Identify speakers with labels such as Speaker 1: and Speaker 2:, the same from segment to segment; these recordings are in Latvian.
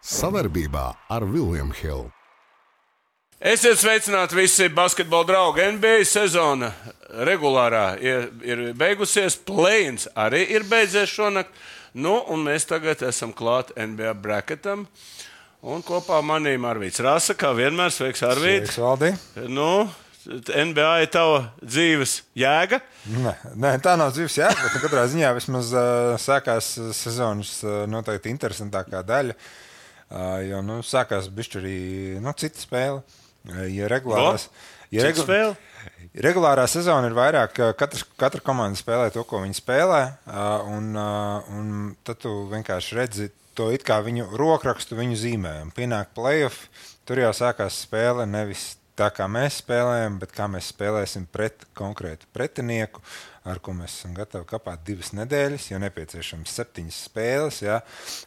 Speaker 1: Sadarbībā ar William Hill.
Speaker 2: Esiet sveicināti visi basketbola draugi. NBA sezona regulārā ir beigusies, play-ins arī ir beidzies šonakt. Nu, un mēs tagad esam klāt NBA bracketam. Un kopā manīm Arvīds Rasa, kā vienmēr. Sveiks, Arvīd.
Speaker 3: Sveiks, Valdi.
Speaker 2: Nu, NBA ir tava dzīves jēga?
Speaker 3: Nē, tā nav dzīves jēga, bet katrā ziņā vismaz sākās sezonas noteikti interesantākā daļa. Jo, sākās bišķi arī cita spēle. Ja regulārā sezona ir vairāk, katra komanda spēlē to, ko viņi spēlē, un tad tu vienkārši redzi to it kā viņu rokrakstu, viņu zīmējumu. Pienāk playoff, tur jau sākās spēle nevis tā, kā mēs spēlējam, bet kā mēs spēlēsim pret konkrētu pretinieku, ar ko mēs esam gatavi kapāt 2 nedēļas, jo nepieciešams 7 spēles. Ja?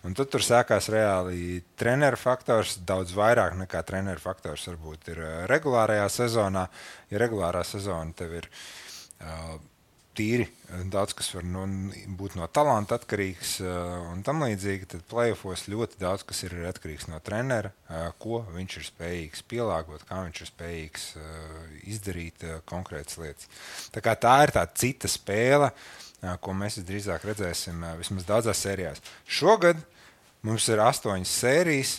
Speaker 3: Un tad tur sākās reāli treneru faktors, daudz vairāk nekā treneru faktors varbūt ir regulārajā sezonā. Ja regulārā sezona tev ir tīri daudz, kas var būt no talanta atkarīgs un tam līdzīgi, tad playoffos ļoti daudz, kas ir atkarīgs no trenera, ko viņš ir spējīgs pielāgot, kā viņš ir spējīgs izdarīt konkrētas lietas. Tā ir tā cita spēle, ko mēs drīzāk redzēsim vismaz daudzās sērijās. Šogad mums ir 8 sērijas,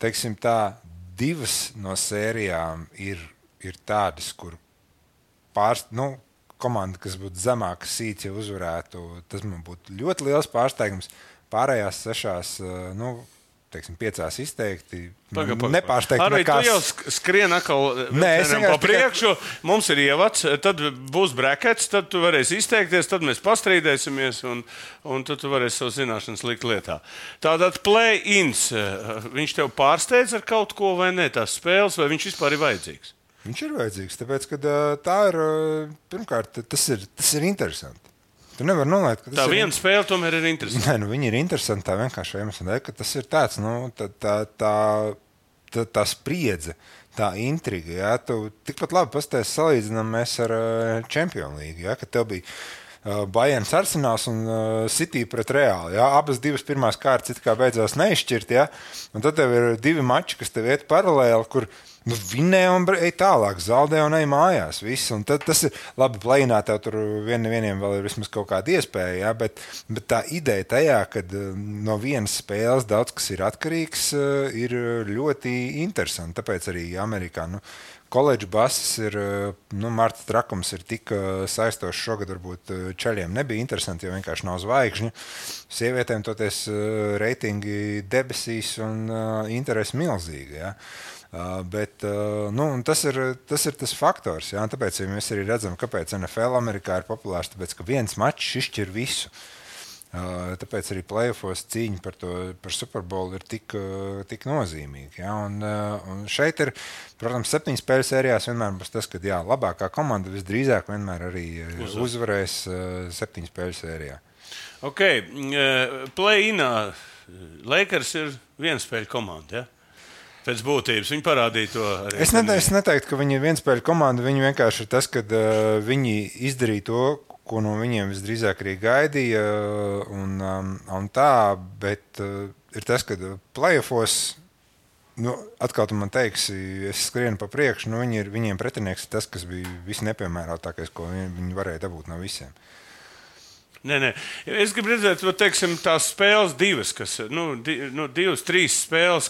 Speaker 3: teiksim tā, 2 no sērijām ir tādas, kur komanda, kas būtu zemāka sīts, ja uzvarētu, tas man būtu ļoti liels pārsteigums. Pārējās 6, 5 izteikti. Nepārsteigti
Speaker 2: Arī
Speaker 3: nekās.
Speaker 2: Tu jau skrien atkal pa priekšu, mums ir ievads, tad būs brackets, tad tu varēsi izteikties, tad mēs pastrīdēsimies un tad tu varēsi savu zināšanas likt lietā. Tātad play-ins, viņš tev pārsteidz ar kaut ko vai ne, tās spēles, vai viņš vispār ir vajadzīgs?
Speaker 3: Viņš ir vajadzīgs, tāpēc, ka tā ir, pirmkārt, tas ir interesanti. Tu nevar nolaikt, ka tas
Speaker 2: tā viena spēle tomēr ir interesanta.
Speaker 3: Nē, viņi ir interesanti tā vienkārši iemesla, ka tas ir tāds, tā spriedze, tā intriga, ja? Tu tikpat labi pastāsti salīdzinām mēs ar Champions League, ja? Kad tev bija Bayerns Arsenāls un City pret Reāli. Ja? Abas 2 pirmās kārtas it kā beidzās neizšķirt, ja? Un tad tev ir 2 mači, kas tev iet paralēli, kur vinnē un ej tālāk, zaudē un ej mājās. Viss. Un tad tas ir labi, play-inā tev tur vieniem vēl ir vismaz kaut kāda iespēja, ja? Bet tā ideja tajā, kad no vienas spēles daudz kas ir atkarīgs, ir ļoti interesanti. Tāpēc arī Amerikā koledžu bases ir, Marta trakums ir tik saistošs šogad, varbūt čaļiem nebija interesanti, jo vienkārši nav zvaigžņu. Sievietēm toties reitingi debesīs un interesi milzīgi, ja? Bet tas ir tas faktors, ja? Tāpēc ja mēs arī redzam, kāpēc NFL Amerikā ir populārs, tāpēc, ka viens mačs izšķir visu. Tāpēc arī playoffos cīņa par Super Bowl ir tik nozīmīga. Ja? Un šeit ir, protams, 7 spēļu sērijās vienmēr būs tas, ka labākā komanda visdrīzāk vienmēr arī uzvarēs 7 spēļu sērijā.
Speaker 2: Ok, play-inā Lakers ir viena spēļu komanda, ja? Pēc būtības viņi parādīja to arī.
Speaker 3: Es neteiktu, ka viņi ir vienspēļu komanda. Viņi vienkārši ir tas, ka viņi izdarīja to, ko no viņiem visdrīzāk arī gaidīja. Un tā, bet ir tas, ka playoffos, atkal tu man teiksi, es skrienu pa priekšu, viņiem pretinieks ir tas, kas bija visnepiemērotākais, ko viņi varēja dabūt no visiem.
Speaker 2: Nē. Es gribu redzēt, teiksim, tās spēles 2, kas, 2-3 spēles,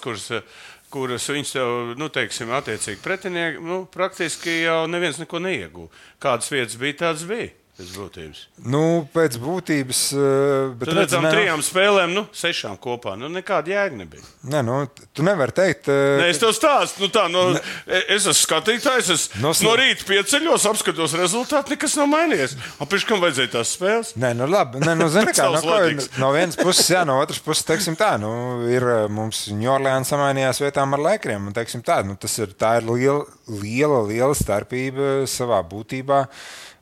Speaker 2: kuras viņas jau, teiksim, attiecīgi pretinieki, praktiski jau neviens neko neieguva. Kādas vietas bija, tādas bija. Pēc būtības.
Speaker 3: Pēc būtības.
Speaker 2: Bet redzam, 3 spēlēm, 6 kopā. Nekāda jēga nebija.
Speaker 3: Nē, tu nevari teikt.
Speaker 2: Nē, es tev stāstu. Es esmu skatītājs, es no rīta pieceļos, apskatos rezultātu, nekas nav mainījies. Pēc kam vajadzēja tās spēles?
Speaker 3: Nē, labi. Zini kā, no vienas puses, jā, no otras puses, teiksim tā, ir mums New Orleans samainījās vietām ar Lakeriem, un teiksim tā, tā ir liela starpība savā būtībā.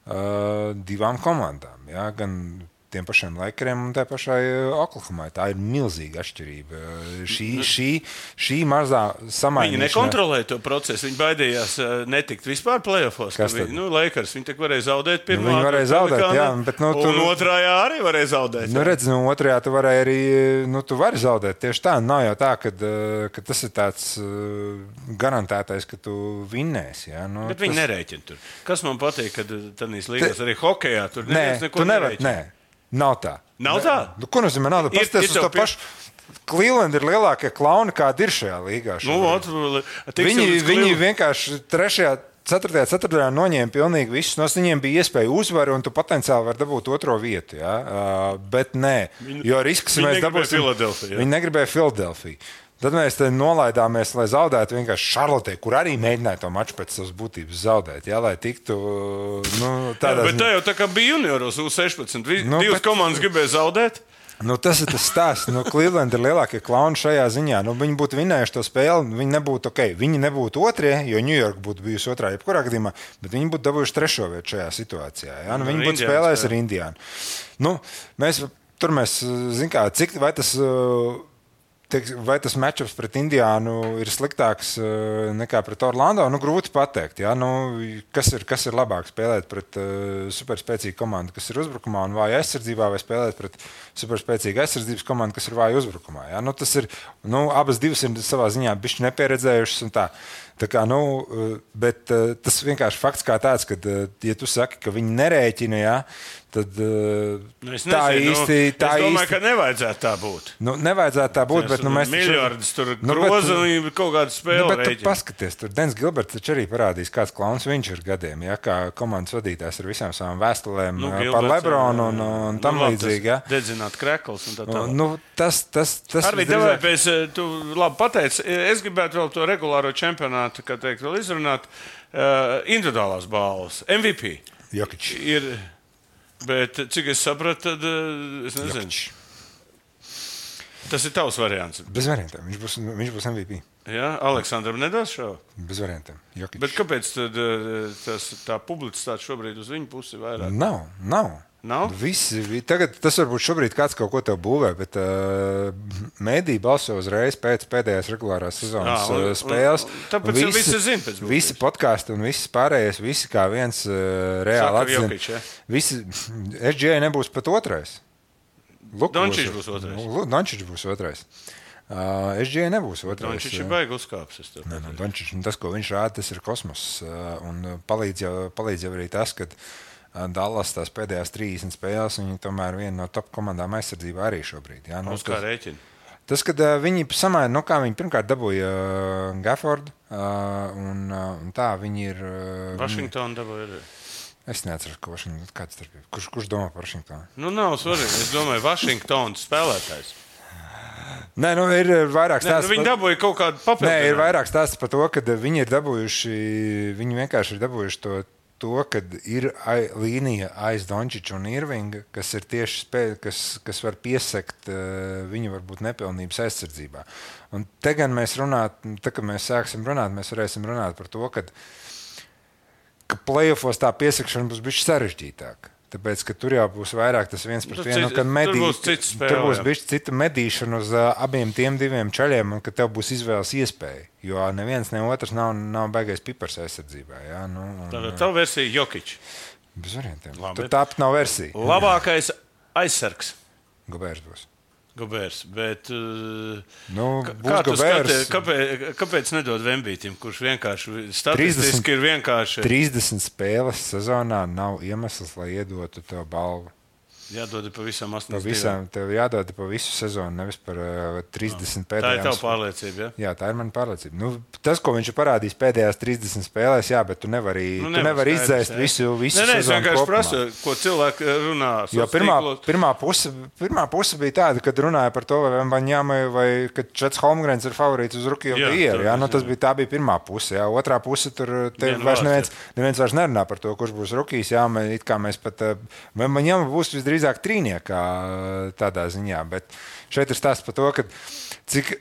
Speaker 3: 2 komandām. Ja? Gan tiem pašiem Lakeriem un tā pašai Oklahomai. Tā ir milzīga atšķirība. Šī mazā samainīšana.
Speaker 2: Viņi nekontrolēja to procesu. Viņi baidījās netikt vispār playoffs. Lakers, viņi tik varēja zaudēt pirmā.
Speaker 3: Viņi varēja zaudēt, jā. Bet,
Speaker 2: un otrajā arī varēja zaudēt.
Speaker 3: Otrajā tu varēji arī, tu vari zaudēt. Tieši tā, nav jau tā, ka tas ir tāds garantētais, ka tu vinnēsi. Jā.
Speaker 2: Bet viņi nerēķina tur. Kas man patīk, kad tādīs līgās arī hokejā tur neviens neko nerēķina.
Speaker 3: Nav tā.
Speaker 2: Nav tā?
Speaker 3: Ko nozīmē nav tā? Pasties uz to pašu. Cleveland ir lielākie klauni, kādi ir šajā līgā. Viņi vienkārši 3. 4. ceturtajā noņēma pilnīgi visus. Viņiem bija iespēja uzvaru, un tu potenciāli vari dabūt otro vietu. Ja? Bet nē, jo risks mēs dabūsim. Viņi negribēja Filadelfiju. Tad mēs nolaidāmies, lai zaudētu vienkārši Šarlotē, kur arī mēģināja to maču pēc savas būtības zaudēt. Jā, lai tiktu tādā.
Speaker 2: Bet tā jau tā kā bija junioros U16. Divas komandas gribēja zaudēt.
Speaker 3: Tas ir tas stāsts. Cleveland ir lielākie klauni šajā ziņā. Viņi būtu vinējuši to spēli, viņi nebūtu ok. Viņi nebūtu otrie, jo New York būtu bijusi otrā jebkurā gadījumā, bet viņi būtu dabūjuši 3. vietu šajā situācijā. Ja? Viņi būtu spēlējuši ar Indiānu. Mēs zinām, kā, cik vai tas matchups pret Indiānu ir sliktāks nekā pret Orlando? Grūti pateikt. Ja? Kas ir labāk spēlēt pret superspēcīgu komandu, kas ir uzbrukumā un vāja aizsardzībā, vai spēlēt pret superspēcīgu aizsardzības komandu, kas ir vāja uzbrukumā? Ja? Tas ir, abas divas ir savā ziņā bišķi nepieredzējušas un tā. Bet tas vienkārši fakts kā tāds, ka, ja tu saki, ka viņi nerēķina, ja, tad tā īsti...
Speaker 2: Es domāju, ka nevajadzētu tā būt.
Speaker 3: Nevajadzētu tā būt, bet mēs...
Speaker 2: Miljardus tur groza un kaut kādu spēli
Speaker 3: rēķina. Bet tu paskaties, tur Dens Gilberts taču arī parādīs, kāds klauns viņš ir gadiem, ja, kā komandas vadītājs ar visām savām vēstulēm par Lebronu un tam līdzīgi. Ja.
Speaker 2: Dedzināt krekls un tā tā.
Speaker 3: Tas
Speaker 2: Arvī, tev tu labi pateici, es gribētu vēl to regulāro čempionātu, kā teikt, vēl izrunāt, individuālās balvas, MVP.
Speaker 3: Jokič.
Speaker 2: Ir, bet cik es sapratu, tad es nezinu.
Speaker 3: Jokič.
Speaker 2: Tas ir tavs variants.
Speaker 3: Bez variantiem, viņš būs MVP.
Speaker 2: Jā, Aleksandram nedos šo?
Speaker 3: Bez variantiem, Jokič.
Speaker 2: Bet kāpēc tad tā publicitāte šobrīd uz viņu pusi vairāk?
Speaker 3: Nav. Tagad tas varbūt šobrīd kāds kaut ko tev būvē, bet mēdī balso uzreiz pēc pēdējās regulārās sezonas spēles.
Speaker 2: Tāpēc visi zina pēc būtības.
Speaker 3: Visi podkāsti un visi pārējais, visi kā viens reāli atzina. SGA nebūs pat otrais.
Speaker 2: Dončič būs otrais.
Speaker 3: Dončič būs otrais. SGA nebūs otrais.
Speaker 2: Dončič ir baigi uzkāpsis.
Speaker 3: Dončič, tas, ko viņš rāda, tas ir kosmos. Un palīdz jau arī tas, ka Dallas tās pēdējās 30 spēles, viņi tomēr viena no top komandām aizsardzībā arī šobrīd. Jā,
Speaker 2: uz kā rēķina?
Speaker 3: Tas, kad viņi samaina, kā viņi pirmkārt dabūja Gaffordu, un tā viņi ir...
Speaker 2: Washington dabūja arī.
Speaker 3: Es neatceros, ka Washington, kāds tur bija. Kurš domā par Washingtonu?
Speaker 2: Nav svarīgi. Es domāju, Washingtons spēlētājs.
Speaker 3: Nē, ir vairāk stāsts.
Speaker 2: Viņi dabūja kaut kādu papildinājumu.
Speaker 3: Nē, ir vairāk stāsts par to, ka viņi ir dabūjuši, viņi vienkārši ir dabūjuši to, kad ir līnija aiz Dončiča un Irvinga, kas ir tieši kas var piesekt viņu varbūt nepilnības aizsardzībā. Un te gan mēs kad mēs sāksim runāt, mēs varēsim runāt par to, ka playoffos tā piesakšana būs bišķi sarežģītāka. Tāpēc, ka tur jau būs vairāk tas viens pret vienu, kad tur būs bišķi cita medīšana uz abiem tiem diviem čaļiem, un ka tev būs izvēles iespēja. Jo neviens, ne otrs nav baigais pipars aizsardzībā. Jā,
Speaker 2: Tātad tā versija Jokič.
Speaker 3: Bez variantiem. Tur tāpat nav versija.
Speaker 2: Labākais aizsargs.
Speaker 3: Gobērs būs.
Speaker 2: Gobērs, bet
Speaker 3: kā tu skaties,
Speaker 2: kāpēc nedod Vembītim, kurš vienkārši statistiski ir vienkārši
Speaker 3: 30 spēles sezonā nav iemesls, lai iedotu tev balvu.
Speaker 2: Jādod pa visam 80.
Speaker 3: Tev jādod pa visu sezonu, nevis par 30 pēdējām.
Speaker 2: Tā ir tava pārliecība, ja?
Speaker 3: Jā, tā ir mana pārliecība. Tas, ko viņš ir parādījis pēdējās 30 spēlēs, jā, bet tu nevari izdzēst visu sezonu.
Speaker 2: Es vienkārši prasu, ko cilvēki runā.
Speaker 3: Jo pirmā puse bija tāda, kad runāja par to, vai Wembanyama vai kad Čets Holmgrens ir favorīts uz Rookie of the Year. Tā bija pirmā puse. Jā. Otrā puse tur vairs neviens vairs nerunā par to, kurš būs rookies. Jā, it kā mēs pat Wembanyama būs visdrīzāk trīniekā tādā ziņā, bet šeit ir stāsts par to, ka cik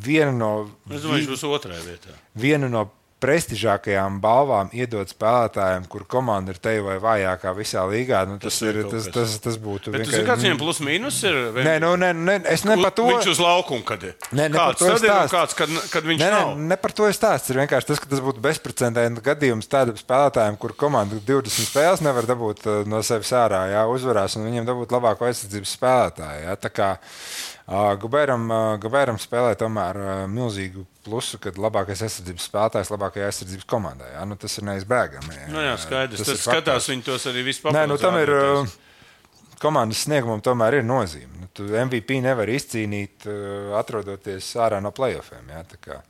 Speaker 3: viena no...
Speaker 2: Es domāju, viņš būs otrajā vietā.
Speaker 3: Viena no prestižākajām balvām iedot spēlētājiem, kur komanda ir te vai vājākā visā līgā, tas būtu
Speaker 2: vienkārši. Bet kāds viņam plus mīnus ir?
Speaker 3: Nē, es ne par to.
Speaker 2: Viņš uz laukumu, kad ir.
Speaker 3: Ne par to ir
Speaker 2: stāsts. Kad viņš nav.
Speaker 3: Ne par to ir stāsts. Ir vienkārši tas, ka tas būtu bezprecedenta gadījums tādiem spēlētājiem, kur komanda 20 spēles nevar dabūt no sevis ārā, jā, uzvarās, un viņiem dabūt labāko aizsardzības spēlētāju. Jā. Tā kā Gobēram spēlē tomēr milzīgu plusu, kad labākais aizsardzības spēlētājs labākajā aizsardzības komandā. Jā. Nu, tas ir neizbēgami.
Speaker 2: Jā, skaidrs. Tas skatās viņi tos arī vispār.
Speaker 3: Nē, tam ir komandas sniegumam tomēr ir nozīme. Tu MVP nevar izcīnīt, atrodoties ārā no playoffiem. Jā, tā kā.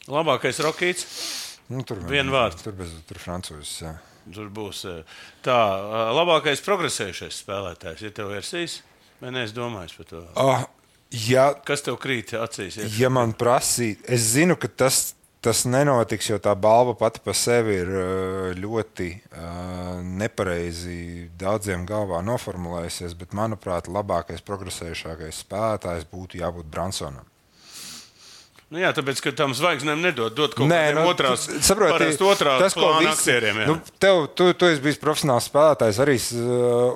Speaker 2: Labākais Rokīts? Vienu vārdu.
Speaker 3: Tur francūzis, jā.
Speaker 2: Tur būs tā, labākais progresējušais spēlētājs. Ir tev versijas? Vai neesi domājis par to?
Speaker 3: Ja,
Speaker 2: kas tev krīt acīs?
Speaker 3: Ja man prasīt, es zinu, ka tas nenotiks, jo tā balva pati pa sevi ir ļoti nepareizi daudziem galvā noformulējusies, bet, manuprāt, labākais progresējušākais spēlētājs būtu jābūt Bransonam.
Speaker 2: Nu jā, tāpēc, ka tam zvaigznēm dod kaut kādiem otrās plāna aktieriem.
Speaker 3: Tu esi bijis profesionāls spēlētājs arī,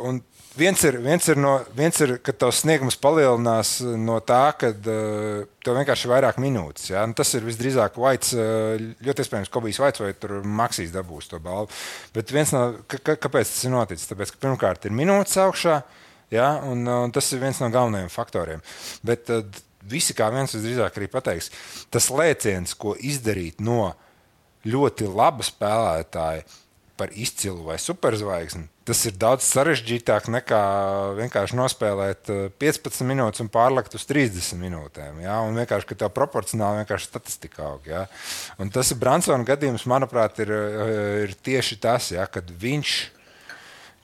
Speaker 3: un Viens ir, ka tavs sniegums palielinās no tā, ka tev vienkārši ir vairāk minūtes. Ja? Tas ir visdrīzāk Vaits, ļoti iespējams, Kobijs Vaits vai Maksīs dabūs to balvu. Bet kāpēc tas ir noticis? Tāpēc, ka pirmkārt ir minūtes augšā, ja? un tas ir viens no galvenajiem faktoriem. Bet visi kā viens visdrīzāk arī pateiks, tas lēciens, ko izdarīt no ļoti laba spēlētāja par izcilu vai superzvaigzni, tas ir daudz sarežģītāk nekā vienkārši nospēlēt 15 minūtes un pārlekt uz 30 minūtēm. Ja? Un vienkārši, ka tev proporcionāli vienkārši statistika aug. Ja? Un tas ir Bransona gadījums, manuprāt, ir tieši tas, ja? Kad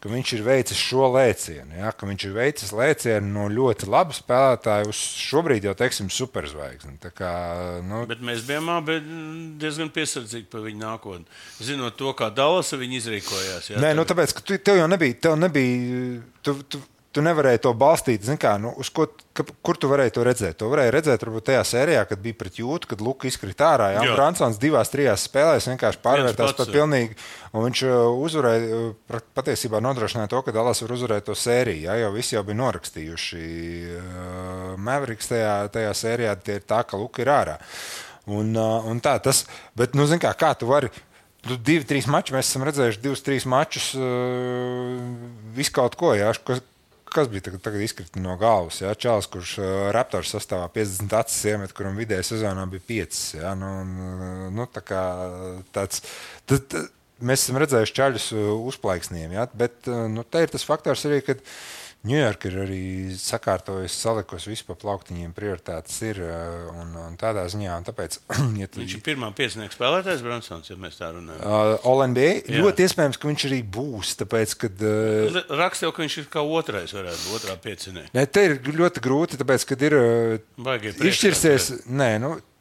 Speaker 3: viņš ir veicis šo lēcienu, ja? Ka viņš ir veicis lēcienu no ļoti laba spēlētāja uz šobrīd jau, teiksim, superzvaigzni. Tā kā,
Speaker 2: Bet mēs bijām diezgan piesardzīgi par viņu nākotni. Zinot to, kā Dallasa viņi izrīkojās. Ja?
Speaker 3: Nē, tāpēc, ka tev jau nebija, tu nevarēji to balstīt, kur tu varēji to redzēt? To varēji redzēt varbūt tajā sērijā, kad bija pret Jūtu, kad Luka izkrita ārā. Ja? Bransons 2-3 spēlēs vienkārši pārvērtās par pilnīgi, un viņš uzvarēja, patiesībā nodrošināja to, ka Dallas var uzvarēt to sēriju. Ja? Jo visi jau bija norakstījuši Mavericks tajā sērijā, tie ir tā, ka Luka ir ārā. Un tā, bet, kā tu vari 2-3 mačus, mēs esam redzējuši 2-3 mačus visu kaut ko, ja? Kas bija tagad izkrita no galvas? Ja? Čalis, kurš Raptors sastāvā 50 acis iemet, kuram vidēja sezonā bija 5. Ja? Tā kā tāds, mēs esam redzējuši čaļus uzplaiksniem, ja? Bet te ir tas faktors arī, ka Ņujorka ir arī sakārtojusi, salikusi visu pa plauktiņiem, prioritātes ir un tādā ziņā. Un tāpēc,
Speaker 2: viņš ir pirmā piecinieka spēlētājs Bransons, ja mēs tā runājam.
Speaker 3: All-NBA ļoti iespējams, ka viņš arī būs, tāpēc, kad...
Speaker 2: Raksta jau, ka viņš ir kā otrais varētu būt, otrā piecinieka.
Speaker 3: Nē, te ir ļoti grūti, tāpēc, kad ir izšķirsies... Nē,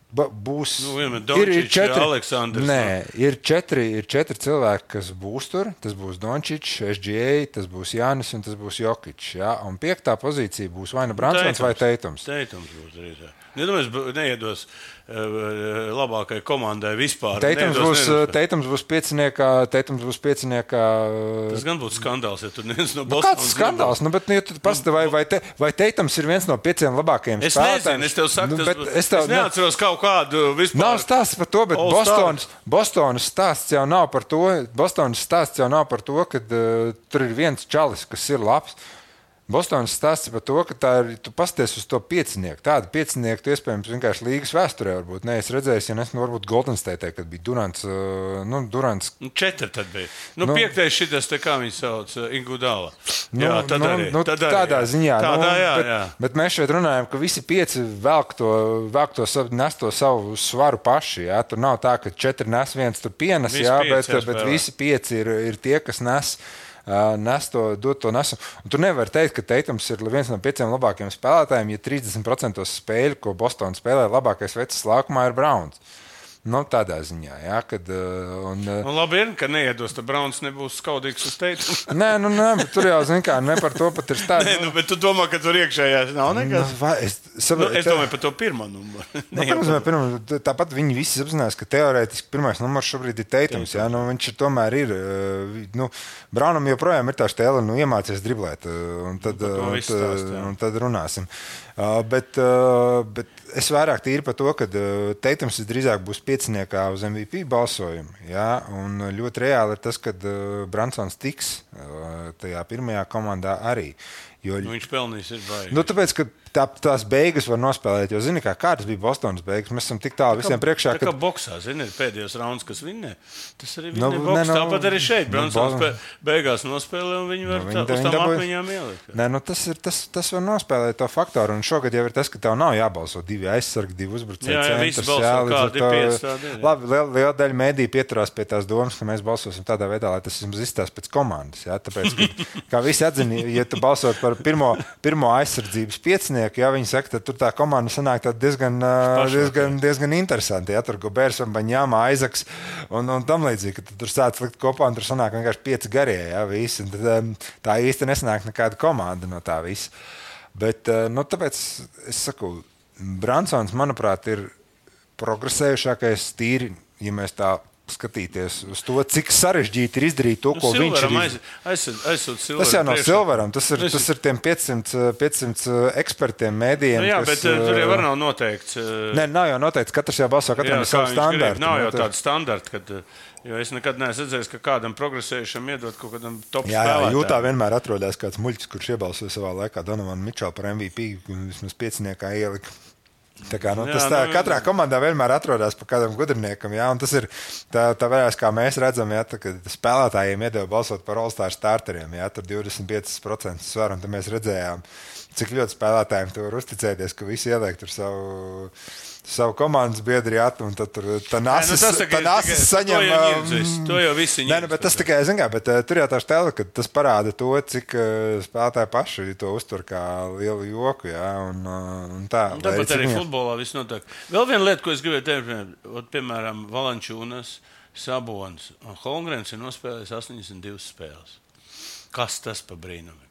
Speaker 3: būs
Speaker 2: ir 4 Aleksandrs.
Speaker 3: Nē, ir 4 cilvēki, kas būs tur. Tas būs Dončičs, SGA, tas būs Jānis un tas būs Jokičs. Ja? Un 5. pozīcija būs vai nu Bransons vai Teitums.
Speaker 2: Teitums būs arī tā. Neiedos labākai komandai vispār.
Speaker 3: Teitums būs pieciniekā.
Speaker 2: Tas gan būtu skandāls, ja tur neviens no Bostonas.
Speaker 3: Kāds skandāls? Bet ja tu pastāvi, vai Teitums ir viens no 5 labākajiem spēlētājiem?
Speaker 2: Es tev saku, es neatceros kaut kādu vispār.
Speaker 3: Nav stāsts par to, bet Bostonas stāsts jau nav par to. Bostonas stāsts jau nav par to, ka tur ir viens čalis, kas ir labs. Bostonas stāsts par to, ka tu pasties uz to piecinieku. Tādu piecinieku tu iespējams vienkārši līgas vēsturē varbūt neesi redzējis, ja varbūt Golden State, kad bija Durants.
Speaker 2: 4 tad bija. 5. šitas, kā viņi sauc, Iguodala. Jā, tad arī.
Speaker 3: Tādā ziņā.
Speaker 2: Jā.
Speaker 3: Bet mēs šeit runājam, ka visi 5 nes to savu svaru paši. Jā. Tur nav tā, ka 4 nes, 1 tur pienes, jā, bet visi 5 ir tie, kas nes dod to nesumu. Un tu nevari teikt, ka Teitums ir viens no 5 labākajiem spēlētājiem, ja 30% spēļu, ko Bostona spēlē, labākais vecs laukumā ir Browns. Nu, tādā ziņā, jā, kad...
Speaker 2: Labi ir, ka neiedos, tad Brauns nebūs skaudīgs uz teitu.
Speaker 3: Nē, bet tur jau, zin kā, ne par to pat ir stādi.
Speaker 2: Nē, bet tu domā, ka tur iekšējās nav nekas? Es domāju par to pirmo numuru.
Speaker 3: Tāpat viņi visi apzinās, ka teorētiski pirmais numurs šobrīd ir Teitums, jā, viņš tomēr ir, Braunam joprojām ir tā stēle, iemācies driblēt, un tad runāsim. Bet es vairāk tīri par to, ka Teitums drīzāk būs pieciniekā uz MVP balsojumu. Jā, un ļoti reāli ir tas, ka Bransons tiks tajā pirmajā komandā arī.
Speaker 2: Viņš pelnīs ir baigi.
Speaker 3: Tāpēc, ka tās beigas var nospēlēt, jo zini, kādas bija Bostonas beigas. Mēs esam tik tālu visiem priekšā.
Speaker 2: Tā kā boksā, zini, ir pēdējos rauns, kas vinnē. Tas arī vinnē boks. Tāpat arī šeit. Bransons beigās nospēlē un viņi var uz tām akmeņām ielikt.
Speaker 3: Nē, tas var nospēlēt to faktoru. Un šogad jau ir tas, ka tev nav jābalso 2 aizsargi, 2 uzbrucēji.
Speaker 2: Jā, visi balso, kādi ir 5 tādi.
Speaker 3: Labi, liela daļa mēdī pieturās pie tās domas, ka mēs balsosim tādā veidā, lai tas jums izstās pēc komandas. Jā? Tāpēc, kā visi atzina, ja tu balsot par pirmo aizsardzības piecinieku, ja viņi saka, tad tur tā komanda sanāk diezgan interesanti. Ja? Tur Gobērs un Baņāma, Aizaks un tam līdzīgi, ka tur sāc likt kopā un tur sanāk vienkārši 5 garie. Ja? Visi, un tad, tā īsti nesanāk nekāda komanda no tā visa. Bet tāpēc es saku, Bransons, manuprāt, ir progresējušākais tīri, ja mēs tā skatīties uz to, cik sarežģīti ir izdarīt to, ko viņš ir. Tas jau nav Silveram, tas ir tiem 500 ekspertiem, mēdījiem.
Speaker 2: Jā, bet tur jau var nav noteikts.
Speaker 3: Nē, nav jau noteikts, katrs jau balso, katram ir savu standartu.
Speaker 2: Nav jau tādu standartu, jo es nekad neesmu redzējis, ka kādam progresējušam iedot kaut kādam top spēlētājam.
Speaker 3: Jā, Jūtā vienmēr atrodās kāds muļķis, kurš iebalsoja savā laikā Donovan Mitchell par MVP, un vismaz pieciniekā ielika. Tā kā, katrā komandā vienmēr atrodas pa kādam gudriniekam, jā, un tas ir tā vērās, kā mēs redzam, jā, kad spēlētājiem iedeva balsot par All-Star starteriem, jā, tur 25% svaru, un tad mēs redzējām, cik ļoti spēlētājiem tu var uzticēties, ka visi ieliek tur savu komandas biedri atu, un tad tur tā nāsis saņem...
Speaker 2: To jau visi ņem.
Speaker 3: Bet tas tikai, bet tur jau tā stēle, ka tas parāda to, cik spēlētāji paši to uztur kā lielu joku, jā, un tā.
Speaker 2: Tāpat arī futbolā viss notiek. Vēl viena lieta, ko es gribēju teikt, piemēram, Valančūnas, Sabons un Holmgrens ir nospēlējis 82 spēles. Kas tas pa brīnumi?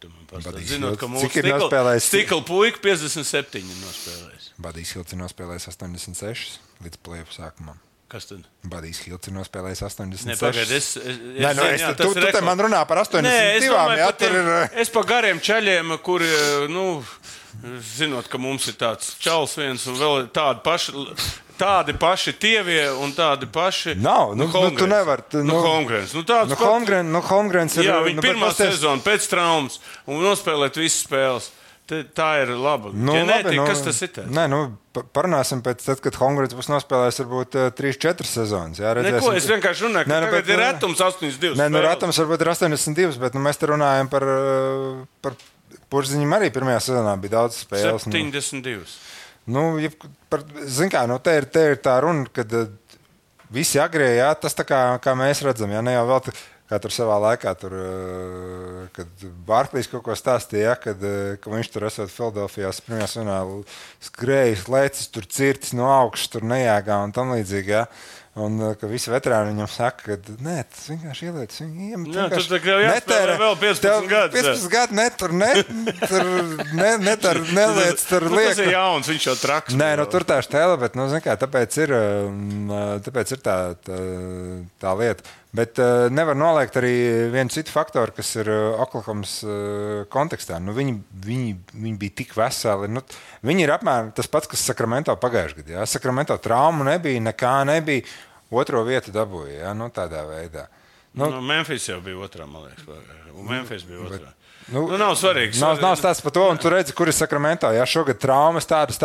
Speaker 2: Zinot, ka mūsu Stikla puika 57 ir nospēlējis.
Speaker 3: Badijs Hilts ir nospēlējis 86 līdz play-off sākumam.
Speaker 2: Kas tad?
Speaker 3: Badijs Hilts ir nospēlējis 86.
Speaker 2: Ne, pagaid,
Speaker 3: tu te man runā par 82.
Speaker 2: Es pa gariem čaļiem, kuri, zinot, ka mums ir tāds čals viens un vēl tādi paši tievie un tādi paši.
Speaker 3: Nav, tu nevar.
Speaker 2: Holmgrens.
Speaker 3: Holmgrens ir.
Speaker 2: Jā, viņa pirmā sezona pēc traumas un nospēlēt visas spēles. Tā ir laba. Ģenētika, kas tas ir?
Speaker 3: Nē, parunāsim pēc tad, kad Holmgrens būs nospēlējis varbūt 3-4 sezonas. Jā,
Speaker 2: neko, es vienkārši runāju, ka tagad ir retums 82 spēles.
Speaker 3: Nē, retums varbūt ir 82, bet mēs te runājam par Purziņam arī pirmajā sezonā bija daudz spēles.
Speaker 2: 72.
Speaker 3: Zin kā, te ir tā runa, kad visi agrie, jā, tas tā kā mēs redzam, jā, ne jau vēl kā tur savā laikā, kad Barklīs kaut ko stāstīja, ka viņš tur esot Filadelfijās pirmajā sezonā skrējis, lecis, tur cirtis no augšas, tur nejāgā un tam līdzīgi, jā. Un ka visi veterāni viņam saka, ka nē, tas vienkārši ielietas.
Speaker 2: Jā, tur tā kā jāspēlē vēl 15 gadus.
Speaker 3: 15 gadu neliec, tur liek.
Speaker 2: Tas ir jauns, viņš jau traks.
Speaker 3: Nē, tur tā štēle, bet, tāpēc ir tā lieta. Bet nevar noliegt arī vienu citu faktoru, kas ir Oklahomas kontekstā. Viņi bija tik veseli. Viņi ir apmēram tas pats, kas Sakramento pagājušajā gadā. Ja? Sakramento traumu nebija, nekā nebija. Otro vietu dabūja, ja? Tādā veidā.
Speaker 2: Memphis jau bija otrā, man liekas. Memphis bija otrā. Nav svarīgs.
Speaker 3: Nav stāsts par to, un tu redzi, kur ir Sakramento. Ja? Šogad traumas tādas,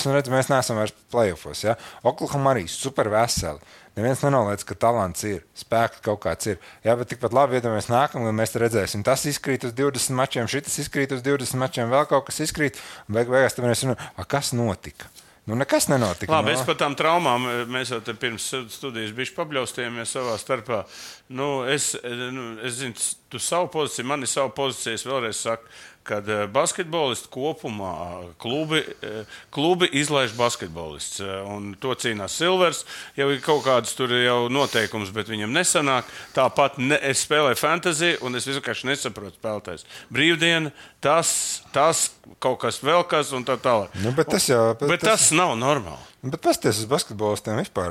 Speaker 3: un redzi, mēs neesam vairs play-offos. Ja? Oklahoma arī super veseli. Neviens nenoliedz, ka talants ir, spēks kaut kāds ir. Jā, bet tikpat labi, ja mēs nākam, un mēs te redzēsim, tas izkrīt uz 20 mačiem, šitas izkrīt uz 20 mačiem, vēl kaut kas izkrīt, un beigās tad mēs runājam, kas notika? Nekas nenotika.
Speaker 2: Labi, es par tām traumām, mēs jau te pirms studijas bišķi pabļaustījāmies savā starpā. Es zinu, tu savu pozīciju, man ir savu pozīciju, es vēlreiz saku, kad basketbolisti kopumā klubi izlaiž basketbolists. Un to cīnās Silvers. Jau ir kaut kādas tur jau noteikums, bet viņam nesanāk. Tāpat es spēlēju fantasy, un es vienkārši nesaprotu spēlētājs. Brīvdiena, tas kaut kas vēl kas un tā tālāk.
Speaker 3: Nu, bet
Speaker 2: tas nav normāli.
Speaker 3: Bet pasties uz basketbolistiem vispār,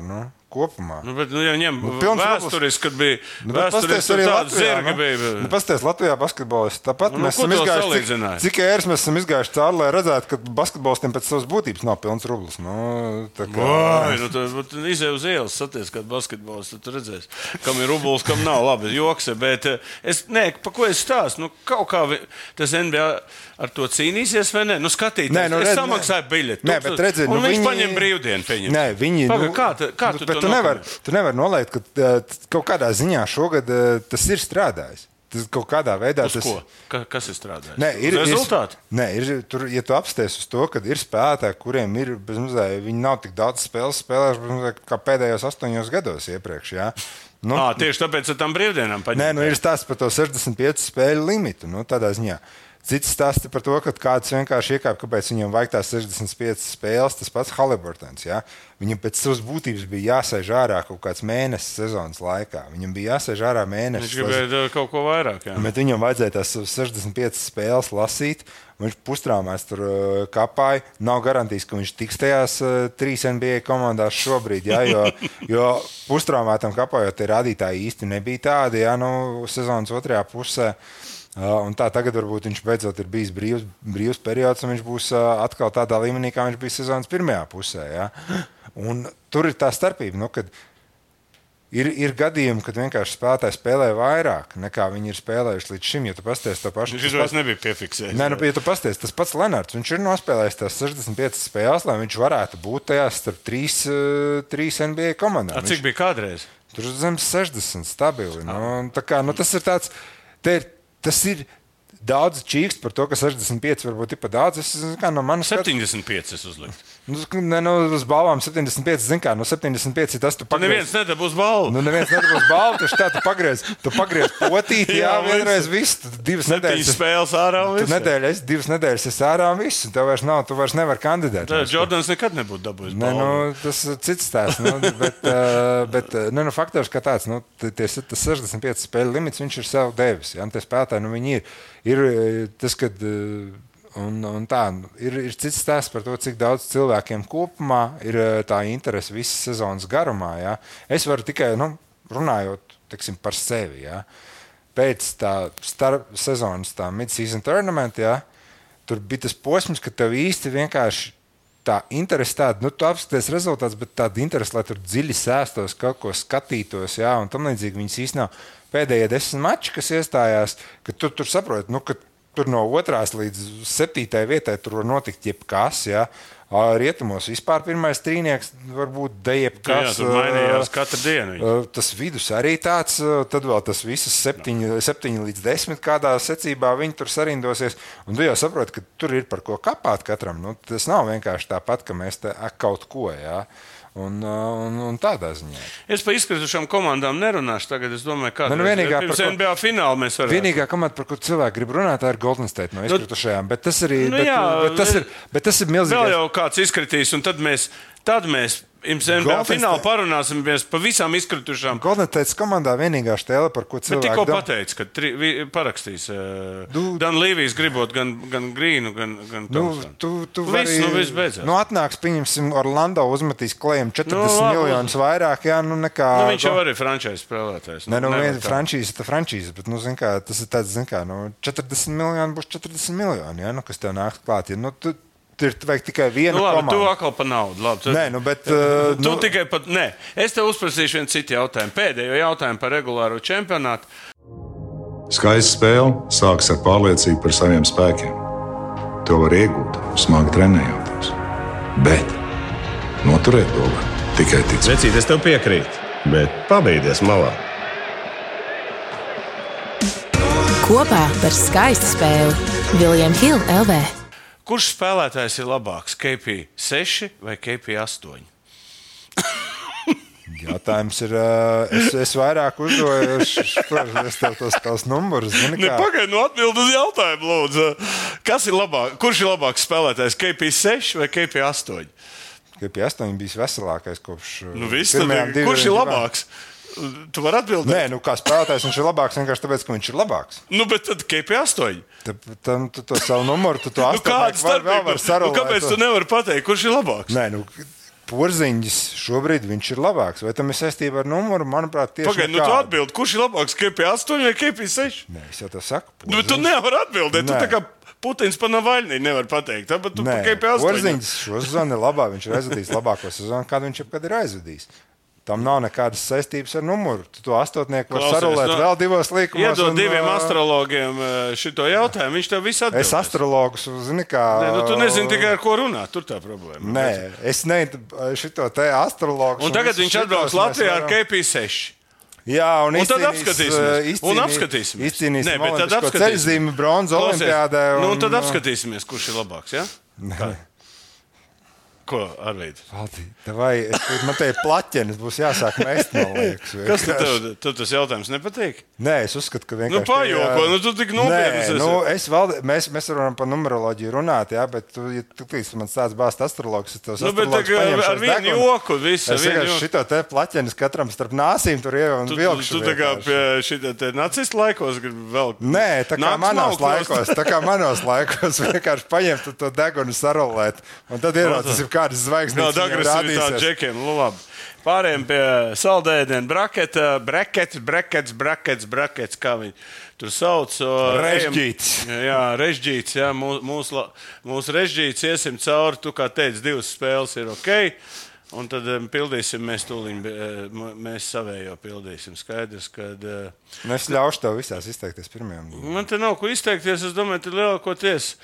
Speaker 3: kopumā.
Speaker 2: Ja ņem vēsturiski, kad bija vēsturiski tāda zirga bija.
Speaker 3: Pasties Latvijā basketbolisti. Tāpat mēs esam izgājuši, cik ēras mēs esam izgājuši cauri, lai redzētu, ka basketbolistiem pēc savas būtības nav pilns rublis.
Speaker 2: Tu izej uz ielas, saties, kad basketbolists, tu redzēsi, kam ir rublis, kam nav. Labi, joks, bet pa ko es stāstu? Kaut kā tas NBA ar to cīnīsies vai ne? Skatīties, es samaksāju biļeti. Un viņš paņem brīvdienu, pieņem.
Speaker 3: Nē, viņi...
Speaker 2: Kā tu to
Speaker 3: Tu nevar nolaikt, ka kaut kādā ziņā šogad tas ir strādājis. Tas kaut kādā veidā...
Speaker 2: Uz ko? Kas ir strādājis?
Speaker 3: Rezultāti? Tur, ja tu apsties uz to, ka ir spēlētāji, kuriem ir, viņi nav tik daudz spēlējuši kā pēdējos 8 gados iepriekš, jā.
Speaker 2: Tieši tāpēc ar tām brīvdienām paņem.
Speaker 3: Ir stāsts par to 65 spēļu limitu, tādā ziņā. Cits stāsti par to, ka kāds vienkārši iekāp, kāpēc viņam vajag tās 65 spēles, tas pats Haliburtons. Ja? Viņam pēc savas būtības bija jāsēž ārā kaut kāds mēnesis sezonas laikā. Viņam bija jāsēž ārā mēnesis.
Speaker 2: Viņš gribēja kaut ko vairāk. Jā.
Speaker 3: Bet viņam vajadzēja tās 65 spēles lasīt. Viņš pustrāmēs tur kapāja. Nav garantijas, ka viņš tiks tajās 3 NBA komandās šobrīd. Ja? Jo pustrāmētam kapājot, tie rādītāji īsti nebija tādi. Ja? Sezonas otrajā pusē. Un tā tagad varbūt viņš beidzot ir bijis brīvs periods, un viņš būs atkal tādā līmenī, kā viņš bija sezonas pirmajā pusē. Ja? Un tur ir tā starpība, kad ir gadījumi, kad vienkārši spēlētāji spēlē vairāk, nekā viņi ir spēlējuši līdz šim. Ja tu pasties to pašu...
Speaker 2: Viņš vairs nebija piefiksējis.
Speaker 3: Ja tu pasties, tas pats Lenards, viņš ir nospēlējis tās 65 spēles, lai viņš varētu būt tajās starp 3 NBA komandām.
Speaker 2: Cik bija kādreiz?
Speaker 3: Tur zem 60 stabili. Tas ir tāds... Tas ir daudz čīkst par to, ka 65 varbūt ir pa daudz. No manas
Speaker 2: 75 es uzliktu.
Speaker 3: Uz balvām 75, 75 ir tas, tu pagriez.
Speaker 2: Neviens nedabūs balvu.
Speaker 3: Neviens nedabūs balvu, taču tā tu pagriez potīti, vienreiz viss. 2 nedēļas
Speaker 2: spēles ārā un viss.
Speaker 3: 2 nedēļas es ārā un viss. Tev vairs nav, tu vairs nevar kandidēt.
Speaker 2: Jordans nekad nebūtu dabūjis balvu.
Speaker 3: Tas cits stāsts. Bet faktors kā tāds, tas 65 spēļu limits, viņš ir sev devis. Tie spēlētāji, viņi ir tas, kad ir cits stāsts par to, cik daudz cilvēkiem kopumā ir tā interese visas sezonas garumā. Ja? Es varu tikai, runājot par sevi, ja? Pēc tā sezonas mid-season tournament, ja? Tur bija tas posms, ka tev īsti vienkārši tā interese tāda, tu apskaties rezultāts, bet tāda interese, lai tur dziļi sēstos, kaut ko skatītos, ja? Un tam līdzīgi viņas īsti nav. Pēdējie 10 mači, kas iestājās, ka tur saproti, ka tur no 2. līdz 7. vietai tur var notikt jebkas. Ja? Rietumos vispār pirmais trīnieks var būt jebkas.
Speaker 2: Jā, tur mainījās katru dienu.
Speaker 3: Tas vidus arī tāds, tad vēl tas visas 7 līdz 10 kādā secībā viņi tur sarindosies. Un tu jau saproti, ka tur ir par ko kapāt katram. Tas nav vienkārši tāpat, ka mēs te kaut ko, jā. Un tādā ziņā.
Speaker 2: Es par izkritušām komandām nerunāšu tagad. Es domāju, kāda pirms NBA fināla mēs varētu.
Speaker 3: Vienīgā komanda, par ko cilvēki grib runāt, tā ir Golden State no izkritušajām. Bet tas arī bet tas ir milzīgais.
Speaker 2: Vēl jau kāds izkritīs, un tad mēs NBA finālu parunāsimies par visām izkritušām.
Speaker 3: Golden State komandā vienīgā štēle, par ko cilvēki...
Speaker 2: Bet tikko pateica, ka parakstīs Dan Līvijs gribot gan Grīnu, gan Thompsonu. Viss beidzās.
Speaker 3: Atnāks, pieņemsim, Orlando uzmetīs Klejam 40 miljonus vairāk, jā, nekā...
Speaker 2: Viņš jau arī frančīzes spēlētājs.
Speaker 3: Frančīzes, bet, tas ir tāds, 40 miljoni būs 40 miljoni, jā, kas tev nāks klāt. Tur vajag tikai vienu komandu.
Speaker 2: Tu atkal par naudu. Labi, tikai pat... Nē, es tev uzprasīšu vienu citu jautājumu. Pēdējo jautājumu par regulāro čempionātu.
Speaker 4: Skaista spēle sākas ar pārliecību par saviem spēkiem. To var iegūt, smagi trenējoties. Bet noturēt to var tikai ticēt.
Speaker 5: Vecīt, es tev piekrītu, bet pabeigties malā.
Speaker 6: Kopā par skaistu spēli William Hill LV.
Speaker 2: Kurš spēlētājs ir labāks? KP 6 vai KP 8?
Speaker 3: Jautājums ir, es vairāk uzdoju, es tev tos numurus.
Speaker 2: Pagaid, atbild uz jautājumu, lūdzu. Kas ir labāk? Kurš ir labāks spēlētājs? KP6 vai KP8?
Speaker 3: KP8 bija veselākais kopš
Speaker 2: pirmajām divām. Kurš ir labāks? Tu vari atbildēt?
Speaker 3: Nē, kā spēlētājs viņš ir labāks vienkārši tāpēc, ka viņš ir labāks.
Speaker 2: Bet tad KP8.
Speaker 3: Tu to savu numuru, tu to
Speaker 2: astotnieku var sarulēt. Kāpēc tu nevari pateikt, kurš ir labāks?
Speaker 3: Nē, Porziņģis šobrīd viņš ir labāks. Vai tam ir saistība ar numuru? Manuprāt, tieši
Speaker 2: Pagaid, tu atbildi, kurš ir labāks, KP8 vai KP6?
Speaker 3: Nē, es jau tā saku.
Speaker 2: Bet tu nevari atbildēt. Tu tā kā Putins pa Navaļnī nevar pateikt. Tāpēc tu pa KP8.
Speaker 3: Porziņģis šo sezonu ir labāk. Viņš ir aizvadījis labāko sezonu, kādu viņš jebkad ir aizvadījis. Tam nav nekādas saistības ar numuru. Tu to astotnieku var sarulēt vēl divos līkumos.
Speaker 2: Iedod diviem astrologiem šito jautājumu. Viņš tev visu atbildēs.
Speaker 3: Es astrologus zini kā...
Speaker 2: Tu nezini tikai ar ko runāt. Tur tā problēma.
Speaker 3: Nē, es šito te astrologus...
Speaker 2: Un tagad viņš atbrauks Latvijā ar KP6.
Speaker 3: Jā, un
Speaker 2: tad apskatīsimies.
Speaker 3: Izcīnīsim olimpisko ceļzīmi bronzu olimpiādē.
Speaker 2: Un tad apskatīsimies, kurš ir labāks, ja? Ko, Arvīd?
Speaker 3: Man te ir plaķenis, būs jāsāk mest, man liekas.
Speaker 2: Kas tev tas jautājums nepatīk?
Speaker 3: Nē, es uzskatu, ka vienkārši...
Speaker 2: pajoko, tu tik nopietnas
Speaker 3: esi. Mēs varam par numeroloģiju runāt, jā, bet tu man stāsts bāzt astrologus, es tos astrologus paņemšu
Speaker 2: ar vienu joku, visu.
Speaker 3: Es vienkārši šito te plaķenis katram starp nāsīm tur jau un vilkšu.
Speaker 2: Tu tā kā pie šitā te nacistu laikos gribi vēl...
Speaker 3: Nē, tā kā manos laikos vienkārši paņemt to degunu sarolēt, un tad ieraudzis kādas zvaigznes
Speaker 2: agresīvitātes džekiem. Labi. Pārējiem pie saldēdienu brakets, kā viņi tur sauc.
Speaker 3: Režģīts.
Speaker 2: Jā, režģīts. Jā, mūsu režģīts iesim cauri. Tu kā teici, 2 spēles ir ok. Un tad pildīsim mēs tūliņ, mēs savējo pildīsim. Skaidrs, kad...
Speaker 3: Es ļaušu tev visās izteikties pirmajām.
Speaker 2: Man te nav ko izteikties. Es domāju, te lielākoties.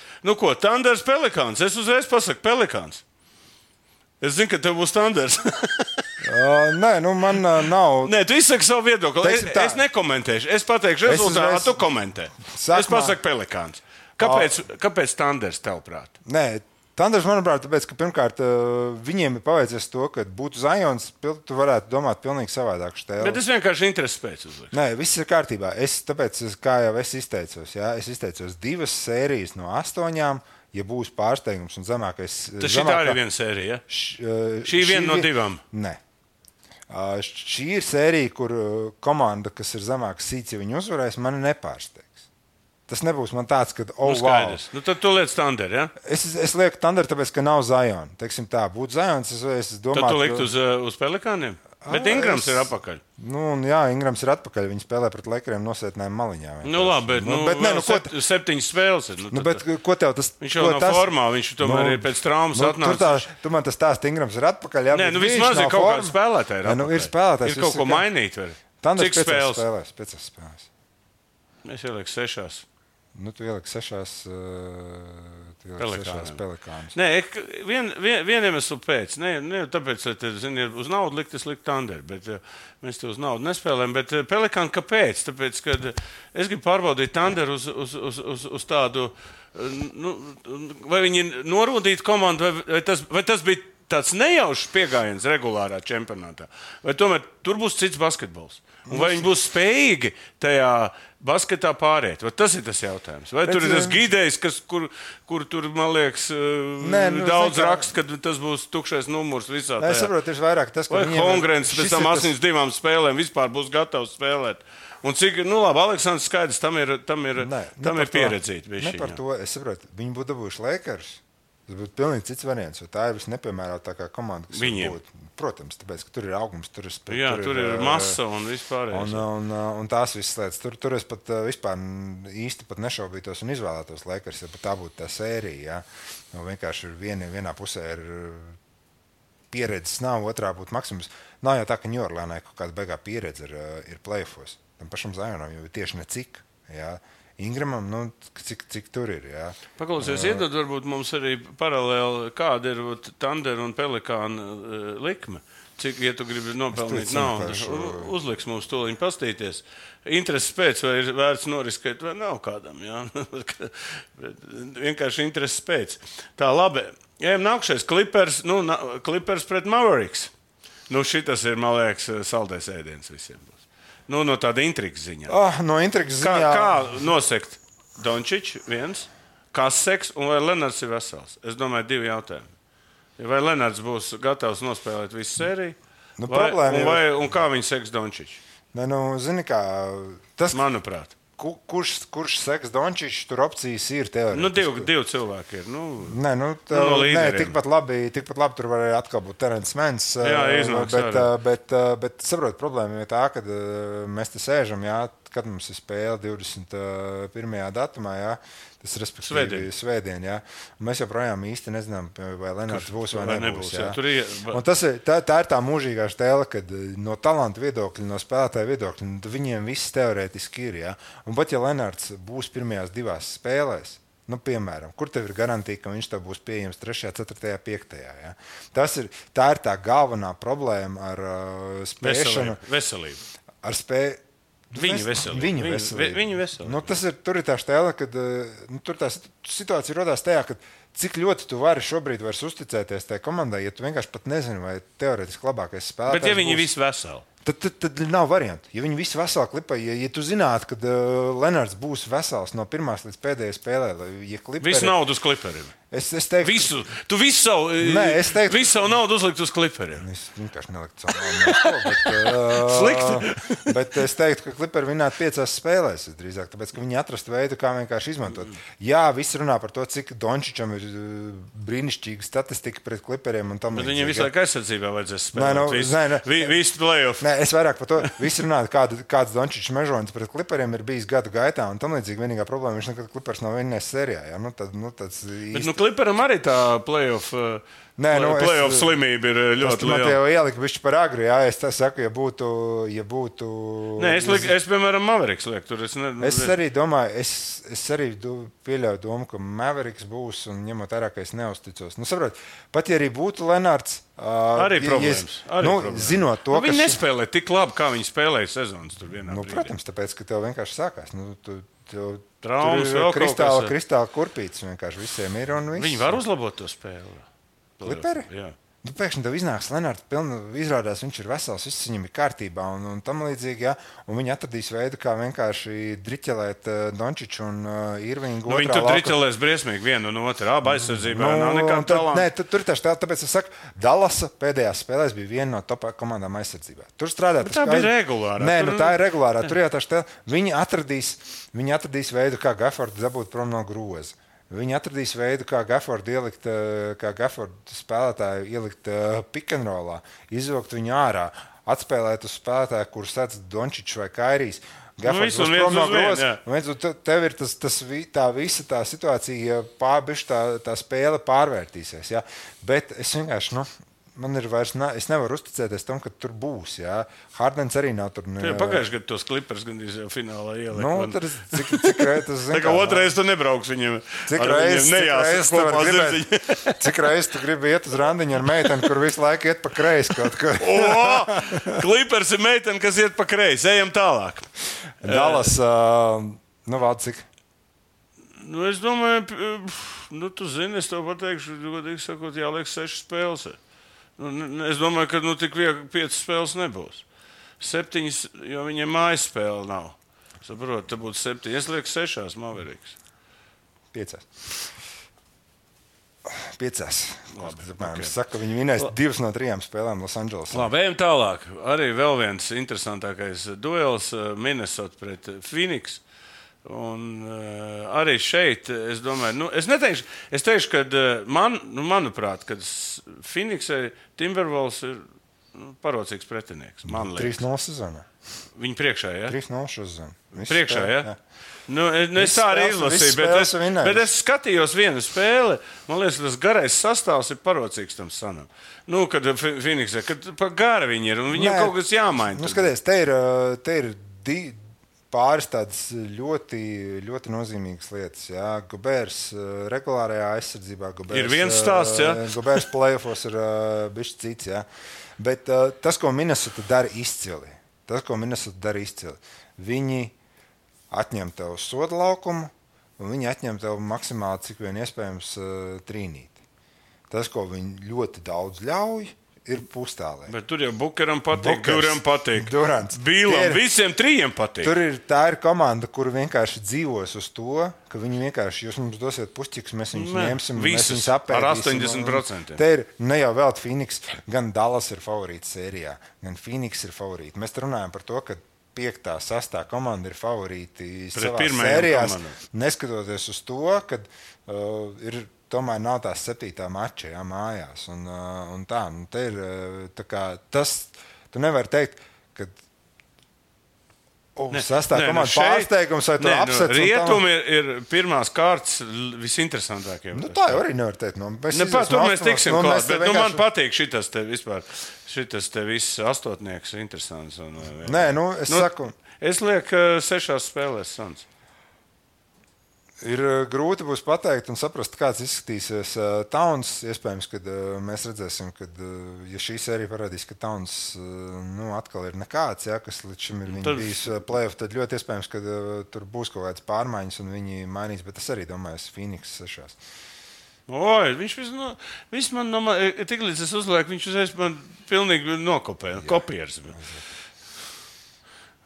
Speaker 2: Tanders Pelikāns. Es uzreiz pasaku Pelikāns. Es zinu, ka tev būs Tanders.
Speaker 3: Nē, man nav.
Speaker 2: Nē, tu izsaki savu viedokli. Es nekomentēšu. Es pateikšu rezultātu, tu komentē. Es pasaku Pelikāns. Kāpēc Tanders tevprāt?
Speaker 3: Nē, Tanders, manuprāt, tāpēc, ka pirmkārt viņiem ir paveicies to, ka būtu Zions, tu varētu domāt pilnīgi savādāk štēli.
Speaker 2: Bet es vienkārši interesi pēc uzlikšu.
Speaker 3: Nē, viss ir kārtībā. Tāpēc, kā jau es izteicos, es izteicos 2 sērijas no 8. Ja būs pārsteigums un zemākais...
Speaker 2: Tas šī arī viena sērija, ja? Šī viena no 2?
Speaker 3: Nē. Šī ir sērija, kur komanda, kas ir zemāka sīts, ja viņi uzvarēs, mani nepārsteigs. Tas nebūs man tāds, ka...
Speaker 2: Skaidrs. Wow. Tad tu liec Thunder, ja?
Speaker 3: Es lieku Thunder, tāpēc, ka nav Zion. Teiksim tā, būtu Zions, es domāju...
Speaker 2: Tad tu likt uz Pelikāniem? Bet Ingrams ir atpakaļ.
Speaker 3: Jā, Ingrams ir atpakaļ. Viņi spēlē pret Lakeriem nosētnēm maliņā.
Speaker 2: Labi, bet 7 spēles ir.
Speaker 3: Bet ko tev tas...
Speaker 2: Viņš jau nav formā, viņš tomēr ir pēc traumas atnācis.
Speaker 3: Tu man tas stāst, Ingrams ir atpakaļ. Jā,
Speaker 2: nē, vismaz ir kaut kāda spēlētāja ir atpakaļ.
Speaker 3: Ir spēlētājs.
Speaker 2: Ir kaut ko mainīt.
Speaker 3: Cik spēles? 5 spēles.
Speaker 2: Es ielieku 6.
Speaker 3: Tu ieliki 6. Pelikānus.
Speaker 2: Nē, vien iemeslu pēc. Ne tāpēc, ka uz naudu likt, es liktu Thunder, bet mēs te uz naudu nespēlējam. Bet Pelikāni kāpēc? Tāpēc, ka es gribu pārbaudīt Thunder uz tādu, vai viņi norūdītu komandu, vai tas bija tāds nejaušs piegājiens regulārā čempionātā, vai tomēr tur būs cits basketbols. Un vai viņi būs spējīgi tajā basketā pāriet? Vai tas ir tas jautājums? Vai tur ir tas gidējs, kur tur, man liekas, daudz raksta, ka tas būs tukšais numurs visā tajā?
Speaker 3: Es saprotu, ir vairāk tas, ka
Speaker 2: vai Hongrens pēc tam 82 spēlēm vispār būs gatavs spēlēt. Un cik, labi, Aleksandrs skaidrs, tam ir pieredzīti.
Speaker 3: Ne par to, es saprotu, viņi būtu dabūjuši Lakers. Tas būtu pilnīgi cits variants, jo tā ir visnepiemērotākā komanda, kas
Speaker 2: viņiem
Speaker 3: būtu. Protams, tāpēc, ka tur ir augums, tur
Speaker 2: ir masa un vispārējais.
Speaker 3: Un tās visas lietas. Tur es pat vispār īsti pat nešaubītos un izvēlētos Lakers, ja pat tā būtu tā sērija. Ja? Vienkārši vienā pusē ir pieredzes nav, otrā būtu maksimums. Nav jau tā, ka Ņujorkā kaut kāda beigā pieredze ir play-offos. Tam pašam Zionam jau tieši necik. Ja? Ingramam, cik tur ir, jā.
Speaker 2: Paklausies, iedod varbūt mums arī paralēli, kāda ir Thunder un Pelikāna likme. Cik, ja tu gribi nopelnīt naudu, uzliks mums tūliņ pastīties. Intereses pēc, vai ir vērts noriskēt, vai nav kādam, jā. Vienkārši intereses pēc. Tā, labi. Ejam nākšais, Clippers pret Mavericks. Nu, šitas ir, man liekas, saldais ēdiens visiem būs. Nu, no tāda intrigas ziņā.
Speaker 3: No intrigas ziņā.
Speaker 2: Kā nosekt Dončič viens, kas seks un vai Lenards ir vesels? Es domāju, 2 jautājumi. Vai Lenards būs gatavs nospēlēt visu sēriju? Un kā viņi seks Dončič?
Speaker 3: Ne, zini kā, tas,
Speaker 2: manuprāt.
Speaker 3: Kurš seks Dončičs, tur opcijas ir teorētiski.
Speaker 2: Divi cilvēki ir.
Speaker 3: No tikpat labi tur varēja atkal būt Terence Mans.
Speaker 2: Jā, iznāks
Speaker 3: bet saprot, problēma ir tā, ka mēs te sēžam, jā, kad mums ir spēle 21. datumā, jā, tas respektīvi svētdien, jā. Mēs joprojām īsti nezinām, vai Lenards būs vai nebūs. Jā. Un tā ir tā mūžīgā stēle, kad no talanta viedokļa, no spēlētāja viedokļa, viņiem viss teorētiski ir, jā. Un pat ja Lenards būs pirmajās 2 spēlēs, piemēram, kur tev ir garantija, ka viņš tev būs pieejams 3., 4., 5. Jā. Tā ir tā galvenā problēma ar spēšanu.
Speaker 2: Veselību.
Speaker 3: Ar spēju.
Speaker 2: Viņa veselība.
Speaker 3: Tur ir tā stēle, kad tur tā situācija rodās tajā, ka cik ļoti tu vari šobrīd vairs uzticēties tajā komandai, ja tu vienkārši pat nezini, vai teorētiski labākais spēlētājs.
Speaker 2: Bet ja viņi visi veseli?
Speaker 3: Tad nav variantu. Ja viņi visi veseli klipā, ja tu zinātu, ka Lenards būs vesels no pirmās līdz pēdējai spēlē,
Speaker 2: visu naudu uz kliperiem.
Speaker 3: Es teiktu,
Speaker 2: visu savu naudu uzlikt uz kliperiem.
Speaker 3: Es vienkārši neliktu savu naudu.
Speaker 2: Slikti.
Speaker 3: Bet es teiktu, ka kliperi vinnētu 5 spēlēs drīzāk, tāpēc, ka viņi atrastu veidu, kā vienkārši izmantot. Jā, visi runā par to, cik Dončičam ir brīnišķīga statistika pret kliperiem un tam līdzīgi.
Speaker 2: Bet viņiem visu laiku aizsardzībā vajadzēs spēlēt. Visu play-off.
Speaker 3: Nē, es vairāk par to. Visi runā, kāds Dončičs mežonis pret kliperiem ir bijis gadu gaitā un tam līdzīgi. Vienīgā problēma, viņš nekad klipers nav vinnējis sērijā. Jā?
Speaker 2: Kliperam arī tā play-off slimība ir ļoti liela.
Speaker 3: Man te jau ielika bišķi par agri, jā, es tā saku, ja būtu...
Speaker 2: Nē, es piemēram, Mavericks lieku tur.
Speaker 3: Es arī domāju, es arī pieļauju domu, ka Mavericks būs un ņemot ārā, ka es neusticos. Saprot, pat ja arī būtu Lenards...
Speaker 2: Arī problēmas.
Speaker 3: Zinot to,
Speaker 2: viņi nespēlē tik labi, kā viņi spēlēja sezonas tur vienā brīdī.
Speaker 3: Protams, tāpēc, ka tev vienkārši sākās.
Speaker 2: Traumas,
Speaker 3: kristāla kurpītes vienkārši visiem ir un viss.
Speaker 2: Viņi var uzlabot to spēli.
Speaker 3: Kliperi?
Speaker 2: Jā.
Speaker 3: Pēkšņi tev iznāks Lenards, izrādās, viņš ir vesels, viss viņam ir kārtībā un tam līdzīgi, jā. Un viņi atradīs veidu, kā vienkārši driķelēt Dončiču un Irvingu.
Speaker 2: Viņi tur driķelēs briesmīgi vienu un otru. Aizsardzībā nav nekāda talanta.
Speaker 3: Nē, tur tā stēla, tāpēc es saku, Dallasa pēdējās spēlēs bija viena no top komandām aizsardzībā. Tur strādā.
Speaker 2: Tā bija regulārā.
Speaker 3: Nē, tā ir regulārā. Tur jau tā stēla. Viņi atradīs veidu, kā Gaffordu dabūt prom no groza. Viņi atradīs veidu, kā Gaffordu spēlētāju ielikt pick and rollā, izvilkt viņu ārā, atspēlēt uz spēlētāju, kurš sēdz Dončičs vai Kairijs. Gaffords būs prom no groza. Tev ir tā visa tā situācija, tā spēle pārvērtīsies. Ja? Bet es vienkārši... Man ir vairs, es nevaru uzticēties tam, ka tur būs. Jā. Hardens arī nav tur.
Speaker 2: Pagājuši gadu tos klipers gandrīz jau finālā ielikt.
Speaker 3: Cik reizes
Speaker 2: tā kā otrais tu nebrauks viņiem.
Speaker 3: Cik reizes tu gribi iet uz randiņu ar meiteni, kur visu laiku iet pa kreisi kaut kur.
Speaker 2: Klipers ir meiteni, kas iet pa kreisi. Ejam tālāk.
Speaker 3: Dallas, vēl cik?
Speaker 2: Es domāju, tu zini, es tev pateikšu, godīgi sakot, jāliek 6 spēles. Es domāju, ka tik 5 spēles nebūs. 7, jo viņiem mājas spēle nav. Saprot, te būtu 7. Es lieku 6 Mavericks.
Speaker 3: 5. Es saku, viņi vinēs 2 no 3 spēlēm Los Angeles.
Speaker 2: Labi, ejam tālāk. Arī vēl viens interesantākais duels Minnesota pret Phoenix. Un arī šeit, es domāju, es teikšu, ka manuprāt, kad Phoenixai Timberwolves ir parocīgs pretinieks.
Speaker 3: 3-0 sezonā.
Speaker 2: Viņi priekšā, jā?
Speaker 3: 3-0 sezonā.
Speaker 2: Priekšā, jā? Es tā arī izlasīju, bet es skatījos vienu spēli. Man liekas, tas garais sastāvs ir parocīgs tam sanam. Kad Phoenixai, kad pa gara viņi ir un viņiem kaut kas jāmaina.
Speaker 3: Skaties, te ir pāris tādas ļoti, ļoti nozīmīgas lietas. Jā. Gobērs regulārajā aizsardzībā.
Speaker 2: Ir viens stāsts, jā.
Speaker 3: Gobērs play-offos ir bišķi cits, jā. Bet tas, ko Minnesota dara izcili, viņi atņem tev soda laukumu un viņi atņem tev maksimāli, cik vien iespējams, trīnīti. Tas, ko viņi ļoti daudz ļauj, ir pustālē.
Speaker 2: Bet tur jau Bukeram patīk, Duram patīk.
Speaker 3: Durants.
Speaker 2: Bīlam, visiem trijiem patīk.
Speaker 3: Tā ir komanda, kur vienkārši dzīvos uz to, ka viņi vienkārši, jūs mums dosiet pušķiks, mēs viņus ņemsim, mēs viņus apēdīsim.
Speaker 2: Ar 80%.
Speaker 3: Te ir ne jau vēl Phoenix, gan Dallas ir favorīts sērijā, gan Phoenix ir favorīti. Mēs runājam par to, ka 5. 6. komanda ir favorīti savās sērijās, neskatoties uz to, ka tomēr nav tās 7. mača, jā, mājās. Un tā, te ir tā kā tas, tu nevari teikt, ka 6. komanda pārsteigums vai tu apsets.
Speaker 2: Rietumi ir pirmās kārtas visinteresantākie.
Speaker 3: Tā jau arī nevar teikt.
Speaker 2: Tur mēs tiksim klāt, bet man patīk šitas te vispār. Šitas te viss astotnieks interesants.
Speaker 3: Saku.
Speaker 2: Es lieku 6 spēlēs Suns.
Speaker 3: Ir grūti būs pateikt un saprast, kāds izskatīsies Towns. Iespējams, ka mēs redzēsim, ka ja šī sērija parādīs, ka Towns atkal ir nekāds, kas līdz šim ir bijis playoff, tad ļoti iespējams, ka tur būs kaut kādas pārmaiņas un viņi mainīs, bet es arī domāju, Phoenix 6.
Speaker 2: Oi, viņš viss man tik līdz es uzlieku, viņš uzreiz man pilnīgi nokopēja, kopieris.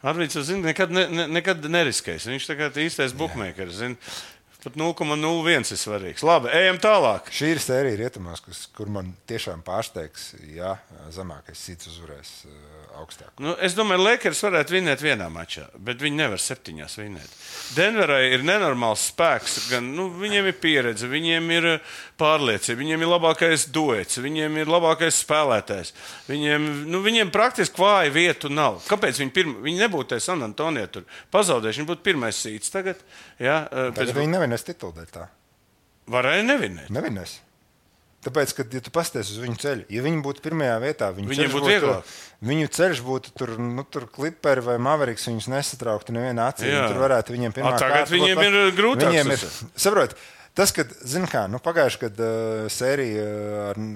Speaker 2: Arvīds, zini, nekad neriskēs. Viņš tagad īstais bookmakers, zini. Pat 0,01 ir svarīgs. Labi, ejam tālāk.
Speaker 3: Šī ir sērija rietumās, kur man tiešām pārsteigs, ja zemākais cits uzvarēs augstāk.
Speaker 2: Es domāju, Lakers varētu vinēt vienā mačā, bet viņi nevar 7 vinēt. Denverai ir nenormāls spēks, gan viņiem ir pieredze, viņiem ir pārliecība, viņiem ir labākais duets, viņiem ir labākais spēlētājs. Viņiem praktiski vāja vietu nav. Kāpēc viņi nebūtu San Antonio tur pazaudējuši? Viņi būtu pirmais sīts tagad. Ja,
Speaker 3: tagad viņi nevinēs titulu dēļ tā.
Speaker 2: Varēja nevinēt.
Speaker 3: Nevinēs. Tāpēc, kad ja tu pasties uz viņu ceļu, ja viņi būtu pirmajā vietā,
Speaker 2: viņiem būtu vieglāk.
Speaker 3: Viņu ceļš būtu tur Clipperi vai Mavericks, viņus nesatrauktu nevienā acī. Tur varētu viņiem pirmā kārta.
Speaker 2: Tagad viņiem ir grūtāk.
Speaker 3: Saprot, tas, kad, zini kā, pagājuši, kad sērija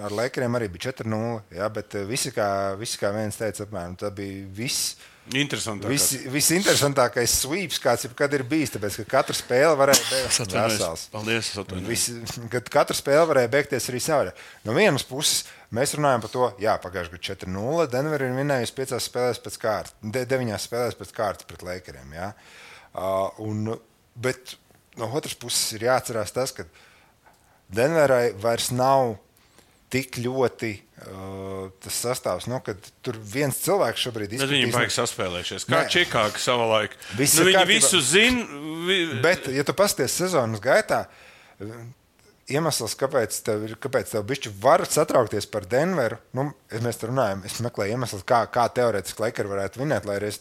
Speaker 3: ar Lakeriem arī bija 4-0, bet visi kā viens teica apmēram, tā bija viss. Visinteresantākais sweeps, kāds jebkad ir bijis, tāpēc, ka katra spēle varēja beigties arī savā. No vienas puses, mēs runājam par to, pagājuši gadu 4-0, Denver ir vinējusi 5 spēlēs pēc kārtas, 9 spēlēs pēc kārtas pret Lakeriem, bet no otras puses ir jāatcerās tas, ka Denverai vairs nav tik ļoti tas sastāvs, kad tur viens cilvēks šobrīd izskatīs.
Speaker 2: Viņi baigi saspēlējušies. Kā Čikāga savā laikā. Viņi visu zina.
Speaker 3: Bet, ja tu pasties sezonas gaitā, iemesls, kāpēc tev bišķi var satraukties par Denveru, mēs te runājam, es meklēju iemeslus, kā teorētiski Lakers varētu vinēt, lai es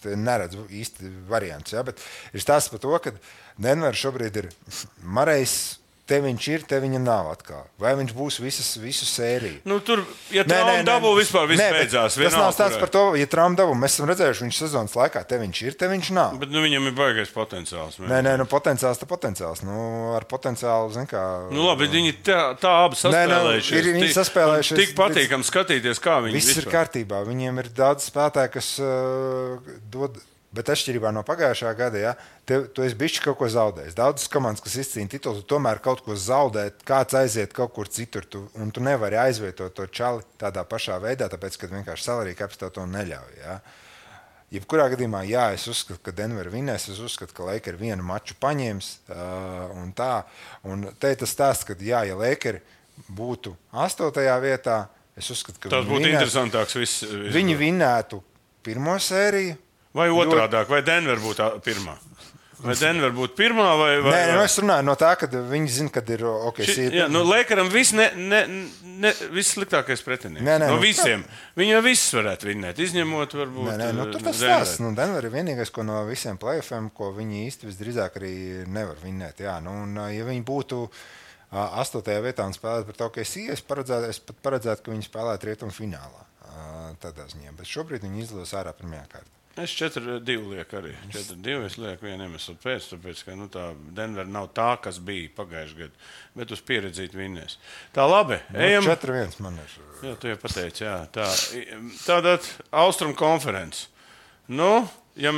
Speaker 3: neredzu īsti variants. Bet ir stāsts par to, ka Denver šobrīd ir Marejs. Te viņš ir, te viņa nav atkal. Vai viņš būs visu sēriju?
Speaker 2: Tur, ja trauma dabū, vispār viss beidzās.
Speaker 3: Tas nav stāsts par to, ja trauma dabū. Mēs esam redzējuši viņš sezonas laikā. Te viņš ir, te viņš nav.
Speaker 2: Bet viņam ir baigais potenciāls.
Speaker 3: Potenciāls. Ar potenciālu, zin kā...
Speaker 2: Labi, viņi tā abi saspēlējušies.
Speaker 3: Viņi saspēlējušies.
Speaker 2: Tik patīkam skatīties, kā viņi
Speaker 3: viss ir kārtībā. Viņiem ir daudz spēlētāji, kas dod... Bet atšķirībā no pagājušā gada, tu esi bišķi kaut ko zaudējis. Daudzas komandas, kas izcīna titulu, tu tomēr kaut ko zaudēt, kāds aiziet kaut kur citur, un tu nevari aizvietot to čali tādā pašā veidā, tāpēc, ka vienkārši salary caps tev to neļauj. Jebkurā gadījumā, es uzskatu, ka Denver vinēs, es uzskatu, ka Lakers vienu maču paņems, un tā. Un te ir tas stāsts, ka, ja Lakers būtu 8. vietā, es uzskatu, ka
Speaker 2: tas būtu interesantāks viss.
Speaker 3: Viņi vinētu pirmo sēriju.
Speaker 2: Vai otrādāk, vai Denver būtu pirmā? Vai Denver būtu pirmā?
Speaker 3: Nē, es runāju no tā, ka viņi zina, kad ir OKC.
Speaker 2: Lakeram viss sliktākais pretinieks. No visiem. Viņi jau viss varētu vinēt, izņemot varbūt.
Speaker 3: Tur tas stāsts. Denver ir vienīgais, ko no visiem playoffiem, ko viņi īsti visdrīzāk arī nevar vinēt. Ja viņi būtu 8. vietā un spēlētu pret OKC, es pat paredzētu, ka viņi spēlētu rietumu finālā. Tādā ziņā. Bet šobrīd viņi izlos ārā pirmajā kārtā.
Speaker 2: Es 4-2 lieku arī. 4-2 es lieku vienu iemeslu pēc, tāpēc, ka tā Denver nav tā, kas bija pagājušajā gadā, bet uz pieredzīt vinnēs. Tā labi, ejam.
Speaker 3: 4-1 man ir.
Speaker 2: Jā, tu jau pateici, tā. Tātad Austrum konferences. Ja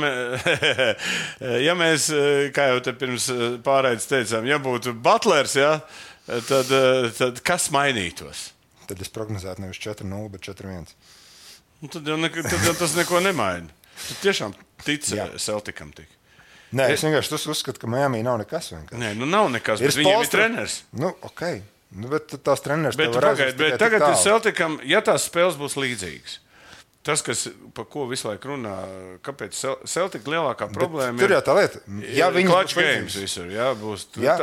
Speaker 2: mēs, kā jau te pirms pārraides teicām, ja būtu Butlers, tad kas mainītos?
Speaker 3: tad es prognozētu nevis 4-0, bet 4-1.
Speaker 2: Tad jau tas neko nemaina. Tu tiešām tici Celticam tik.
Speaker 3: Nē, es vienkārši uzskatu, ka Miami nav nekas. Vienkārši.
Speaker 2: Nē, nav nekas, bet viņiem ir treneris.
Speaker 3: Ok. Bet tās treneris
Speaker 2: bet tagad ir Celticam, ja tās spēles būs līdzīgas. Tas, pa ko visu laiku runā, kāpēc Celtic lielākā problēma ir...
Speaker 3: Tur jau tā lieta. Ja
Speaker 2: clutch games visur,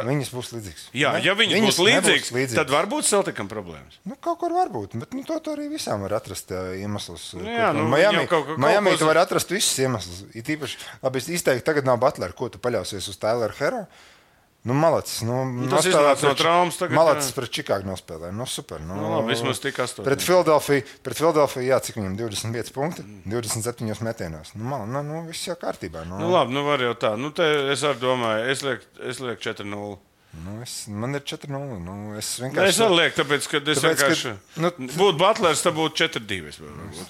Speaker 3: viņas būs līdzīgas.
Speaker 2: Ja viņas būs līdzīgas, tad varbūt Celticam problēmas.
Speaker 3: Kaut kur varbūt, bet to arī visām var atrast iemeslus.
Speaker 2: Miami
Speaker 3: tu var atrast visus iemeslus. It īpaši, labi, es izteikti, tagad nav Butler, ko tu paļausies uz Tyler Hero. Malacis.
Speaker 2: Tas iznāca no traumas tagad.
Speaker 3: Malacis pret Čikāgu nospēlēja. Super.
Speaker 2: Labi, vismaz tik 8.
Speaker 3: Pret Philadelphia, jā, cik viņam 25 punkti, 27 metienos. Viss jau kārtībā.
Speaker 2: Labi, var jau tā. Te es arī domāju, es lieku 4-0.
Speaker 3: Man ir 4-0. Es
Speaker 2: arī lieku, tāpēc, ka es vienkārši... Būtu Butlers, tad būtu 4-2.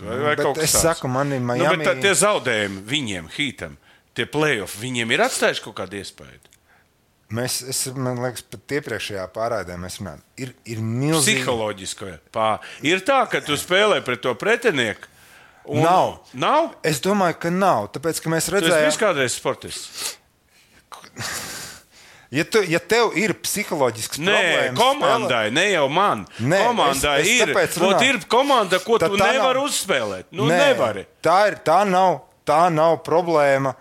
Speaker 2: Vai kaut kas tāds.
Speaker 3: Es saku, man ir Miami...
Speaker 2: Bet tie zaudējumi viņiem, Heatam, tie play-off, viņiem ir atstājuši kaut kādu iespēju.
Speaker 3: Man liekas, pat iepriekšējā pārraidē mēs runājam. Ir milzīgi...
Speaker 2: Psiholoģiski. Ir tā, ka tu spēlē pret to pretinieku.
Speaker 3: Nav? Es domāju, ka nav. Tāpēc, ka mēs redzējām...
Speaker 2: Tu esi kādreiz sportists?
Speaker 3: Ja tev ir psiholoģisks problēmas...
Speaker 2: Nē, komandai, ne jau man. Komandai ir komanda, ko tu nevari uzspēlēt. Nevari.
Speaker 3: Tā nav problēma.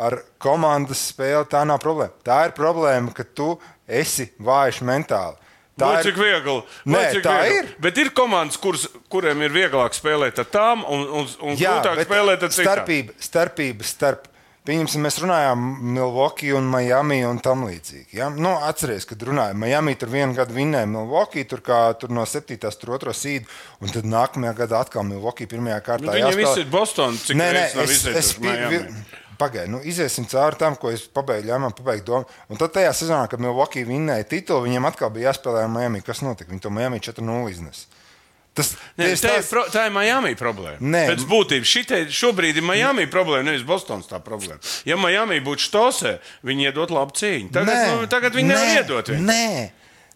Speaker 3: Ar komandas spēli tā nav problēma. Tā ir problēma, ka tu esi vājš mentāli.
Speaker 2: Cik viegli.
Speaker 3: Ir.
Speaker 2: Bet ir komandas, kuriem ir vieglāk spēlēt ar tām un grūtāk spēlēt ar citām.
Speaker 3: Starpības starp, pieņemsim, mēs runājām Milwaukee un Miami un tam līdzīgi. Ja? Atceries, kad runājām, Miami tur vienu gadu vinnēja Milwaukee, tur no 7. tur 2. sīdu, un tad nākamajā gadā atkal Milwaukee pirmajā kārtā
Speaker 2: jāspēlē. Viņiem visi ir Boston, cik reizes nav izsējuši Miami.
Speaker 3: Pagaid, iziesim cauri tam, ko es pabeigtu domu. Un tad tajā sezonā, kad Milwaukee vinnēja titulu, viņiem atkal bija jāspēlē ar Miami. Kas notika? Viņi to Miami 4-0 iznes.
Speaker 2: Tā ir Miami problēma. Pēc būtības šobrīd ir Miami problēma, nevis Bostons tā problēma. Ja Miami būtu štosē, viņi iedot labu cīņu. Tagad viņi nevar iedot.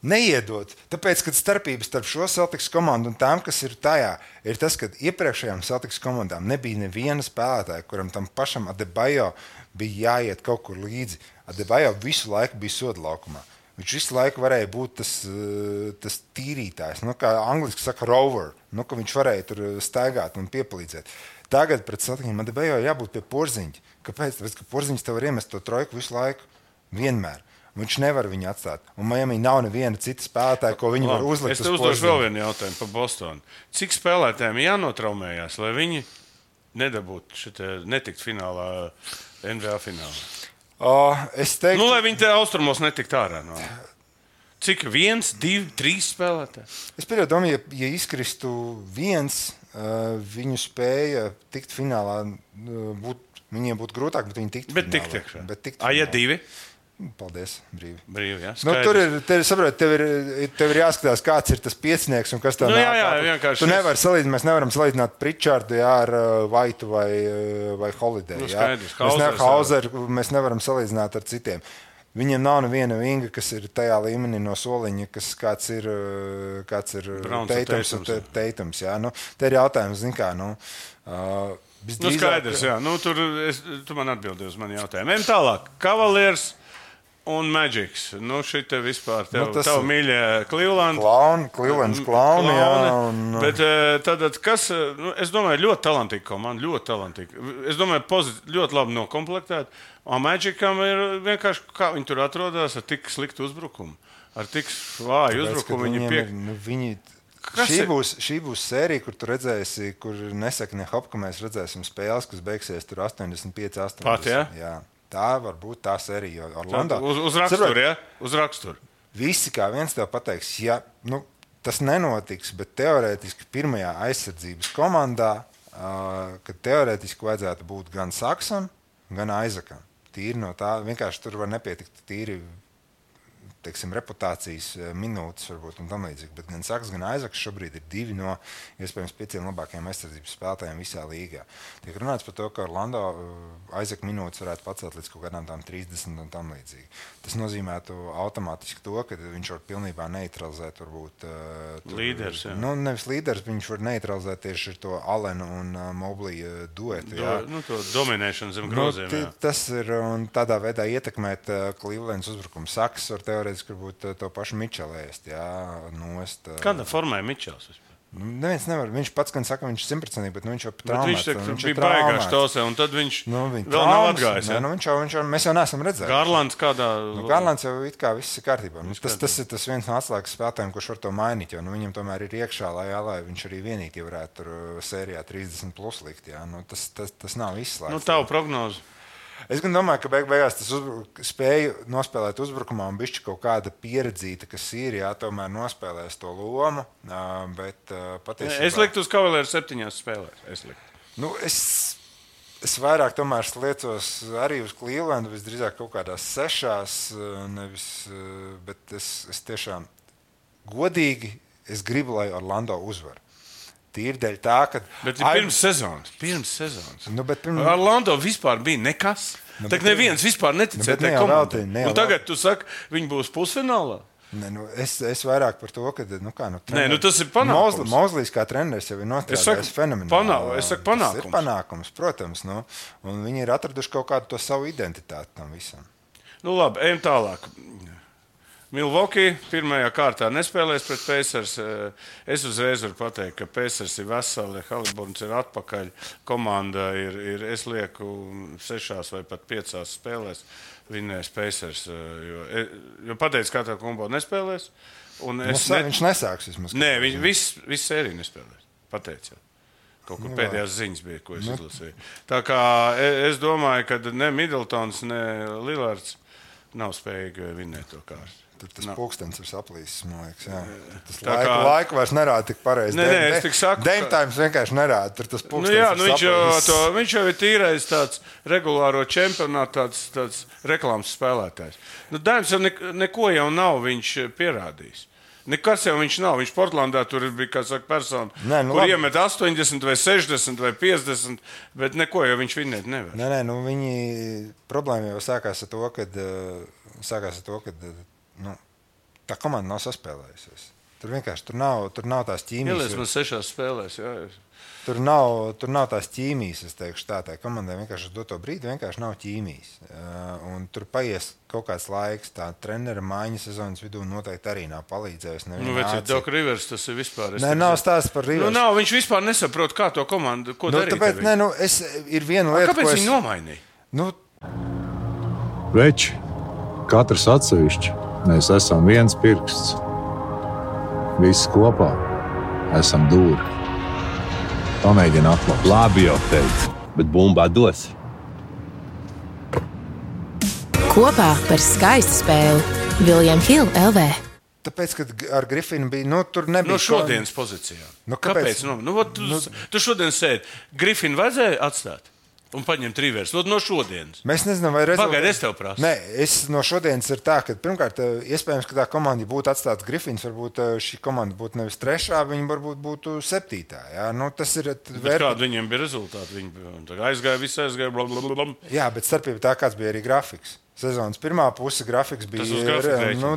Speaker 3: Neiedot. Tāpēc, kad starpības starp šo Celtics komandu un tām, kas ir tajā, ir tas, ka iepriekšējām Celtics komandām nebija neviena spēlētāja, kuram tam pašam Adebayo bija jāiet kaut kur līdzi. Adebayo visu laiku bija soda laukumā. Viņš visu laiku varēja būt tas tīrītājs, kā angliski saka rover, ka viņš varēja tur staigāt un piepalīdzēt. Tagad pret Celticiem Adebayo jābūt pie porziņa. Kāpēc? Tāpēc, ka porziņš tev var iemest to trojku visu laiku, vienmēr. Viņš nevar viņu atstāt. Un Miami nav neviena cita spēlētāja, ko viņi var uzlikt.
Speaker 2: Es te uzdošu vēl vienu jautājumu par Bostonu. Cik spēlētājiem jānotraumējās, lai viņi nedabūtu netikt finālā, NBA finālā?
Speaker 3: Es teiktu...
Speaker 2: lai viņi te austrumos netikt ārā. Cik? 1, 2, 3 spēlētāji?
Speaker 3: Es domāju, ja izkristu viens, viņu spēja tikt finālā, viņiem būtu grūtāk, bet viņi tiktu finālā.
Speaker 2: Bet tikt ja 2?
Speaker 3: Paldies,
Speaker 2: brīvi. Jā,
Speaker 3: tur tev ir jāskatās, kāds ir tas piecinieks un kas tā nāk.
Speaker 2: Vienkārši.
Speaker 3: Tu nevari salīdzināt, mēs nevaram salīdzināt Pritchardu ar Vaitu vai Holiday. Hauseru mēs nevaram salīdzināt ar citiem. Viņiem nav neviena vinga, kas ir tajā līmenī no soliņa, kāds ir Teitums. Te ir jautājums, zin kā,
Speaker 2: skaidrs, jā. Tu man atbildi uz mani jautājumu. Ejam tālāk. Cavaliers un Magics. Šite vispār tev mīļie Cleveland.
Speaker 3: Cleveland's klauni, jā.
Speaker 2: Bet tad, kas, es domāju, ļoti talantīga komanda, ļoti talantīga. Es domāju, ļoti labi nokomplektēta. Un Magicam ir vienkārši, kā viņi tur atrodas ar tik sliktu uzbrukumu. Ar tik vāju uzbrukumu viņi
Speaker 3: Šī būs sērija, kur tu redzēsi, kur nesaka ne hop, ka mēs redzēsim spēles, kas beigsies tur 85-80.
Speaker 2: Pat, jā?
Speaker 3: Jā. Tā var būt tā sērija Orlando.
Speaker 2: Uz raksturu, jā? Uz raksturu.
Speaker 3: Visi kā viens tev pateiks, ja tas nenotiks, bet teorētiski pirmajā aizsardzības komandā, kad teorētiski vajadzētu būt gan Saksam, gan Aizakam. Tīri no tā, vienkārši tur var nepietikt tīri teiksim, reputācijas minūtes, varbūt, un tam līdzīgi. Bet gan Saks, gan Aizaks šobrīd ir 2 no iespējams 5 labākajiem aizsardzības spēlētājiem visā līgā. Tiek runāts par to, ka Orlando Aizaka minūtes varētu pacelt līdz kaut kādām tām 30 un tam līdzīgi. Tas nozīmētu automātiski to, ka viņš var pilnībā neutralizēt varbūt
Speaker 2: līderis.
Speaker 3: Nevis līderis, viņš var neutralizēt tieši to Allenu un Mobley duetu.
Speaker 2: To dominēšanu zem groziem.
Speaker 3: Tas ir un tādā veidā ietekmēt Clevelands uzbrukumu. Saks var teorētiski varbūt to pašu Mičelu ēst, nost.
Speaker 2: Kādā formā ir Mičels?
Speaker 3: Neviens nevar. Viņš pats gan saka, viņš 100%, bet viņš jau traumēts.
Speaker 2: Viņš bija baigāšs tosē, un tad viņš vēl nav atgājis.
Speaker 3: Mēs jau neesam redzējuši.
Speaker 2: Garlands kādā...
Speaker 3: Garlands jau it kā viss ir kārtībā. Tas ir tas viens no atslēgas spēlētājiem, kurš var to mainīt, jo viņam tomēr ir iekšā, lai viņš arī vienīgi varētu tur sērijā 30 plus likt. Tas nav izslēgts.
Speaker 2: Tavu prognozi.
Speaker 3: Es gan domāju, ka beigās tas spēja nospēlēt uzbrukumā un bišķi kaut kāda pieredzīta, kas ir, tomēr nospēlēs to lomu, bet patiesībā...
Speaker 2: Es liktu uz Cavaliers 7 spēlēs.
Speaker 3: Es vairāk tomēr sliecos arī uz Clevelandu, visdrīzāk kaut kādās 6, nevis, bet es tiešām godīgi gribu, lai Orlando uzvar. Tīri dēļ tā, ka...
Speaker 2: Bet pirms sezonas. Orlando vispār bija nekas. Tak neviens vispār neticēja tai komandai. Un tagad tu saki, viņi būs pusfinālā?
Speaker 3: Es vairāk par to, ka...
Speaker 2: tas ir panākums.
Speaker 3: Mozlijs kā treneris jau ir nostrādājis fenomenāli.
Speaker 2: Es saku panākums.
Speaker 3: Tas ir panākums, protams. Un viņi ir atraduši kaut kādu to savu identitāti tam visam.
Speaker 2: Labi, ejam tālāk. Milwaukee pirmajā kārtā nespēlēs pret Pacers. Es uzreiz varu pateikt, ka Pacers ir veseli, Haliburns ir atpakaļ, komanda ir es lieku 6 vai pat 5 spēlēs vinnēs Pacers, jo pateicu, kā tā kombo nespēlēs.
Speaker 3: Viņš nesāks vismaz.
Speaker 2: Nē, viss sērija nespēlēs, pateicu. Kaut kur pēdējās ziņas bija, ko es izlasīju. Tā kā es domāju, ka ne Middletons, ne Lillards nav spējīgi vinnēt to kārtu.
Speaker 3: Tas pulkstenis ir saplīsis, man liekas. Tas laiku vairs nerāda tik pareizi.
Speaker 2: Es tik saku,
Speaker 3: Dame Times vienkārši nerāda. Tur tas pulkstenis
Speaker 2: viņš jau ir tīrais tāds regulāro čempionātu, tāds reklāmas spēlētājs. Dames jau neko jau nav viņš pierādījis. Nekas jau viņš nav. Viņš Portlandā tur bija, kā saka, persona, kur iemet 80 vai 60 vai 50, bet neko jau viņš vinnēt nevar.
Speaker 3: Viņi problēma jau sākās ar to, kad tā komanda nav saspēlējusies. Tur nav tās ķīmijas.
Speaker 2: Ielies man 6 spēlēs, jā.
Speaker 3: Tur nav tās ķīmijas, es teikšu tā. Tā komandai vienkārši uz doto brīdi vienkārši nav ķīmijas. Un tur paies kaut kāds laiks. Tā trenera maiņa sezonas vidū noteikti arī nav palīdzējusi.
Speaker 2: Doc Rivers tas ir vispār.
Speaker 3: Nav stāsts par Rivers.
Speaker 2: Viņš vispār nesaprot, kā to komandu, ko darīt.
Speaker 3: Tāpēc, ir viena lieta,
Speaker 2: kāpēc viņi nomainīja?
Speaker 4: Veči, katrs atsevišķi. Mēs esam viens pirksts. Visi kopā esam dūri. Pamēģini atklāt.
Speaker 5: Labi jau teicu, bet bumbā dos.
Speaker 6: Kopā par skaistu spēli William Hill LV.
Speaker 3: Tāpēc, kad ar Griffinu bija, tur nebija...
Speaker 2: No šodienas pozīcijā. Kāpēc? Tu šodien sēdi. Griffinu vajadzēja atstāt? Un paņemt Rivers. No šodienas.
Speaker 3: Mēs nezinām, vai rezultāti...
Speaker 2: Pagaid, es tev prasu.
Speaker 3: Nē, no šodienas ir tā, ka pirmkārt, iespējams, ka tā komanda būtu atstāts Griffins, varbūt šī komanda būtu nevis 3, viņa varbūt būtu 7. Jā? Tas ir...
Speaker 2: Kāda viņiem bija rezultāti? Viņi aizgāja, visi aizgāja, blablabla.
Speaker 3: Jā, bet starpība tā, kāds bija arī grafiks. Sezonas pirmā puse grafiks bija...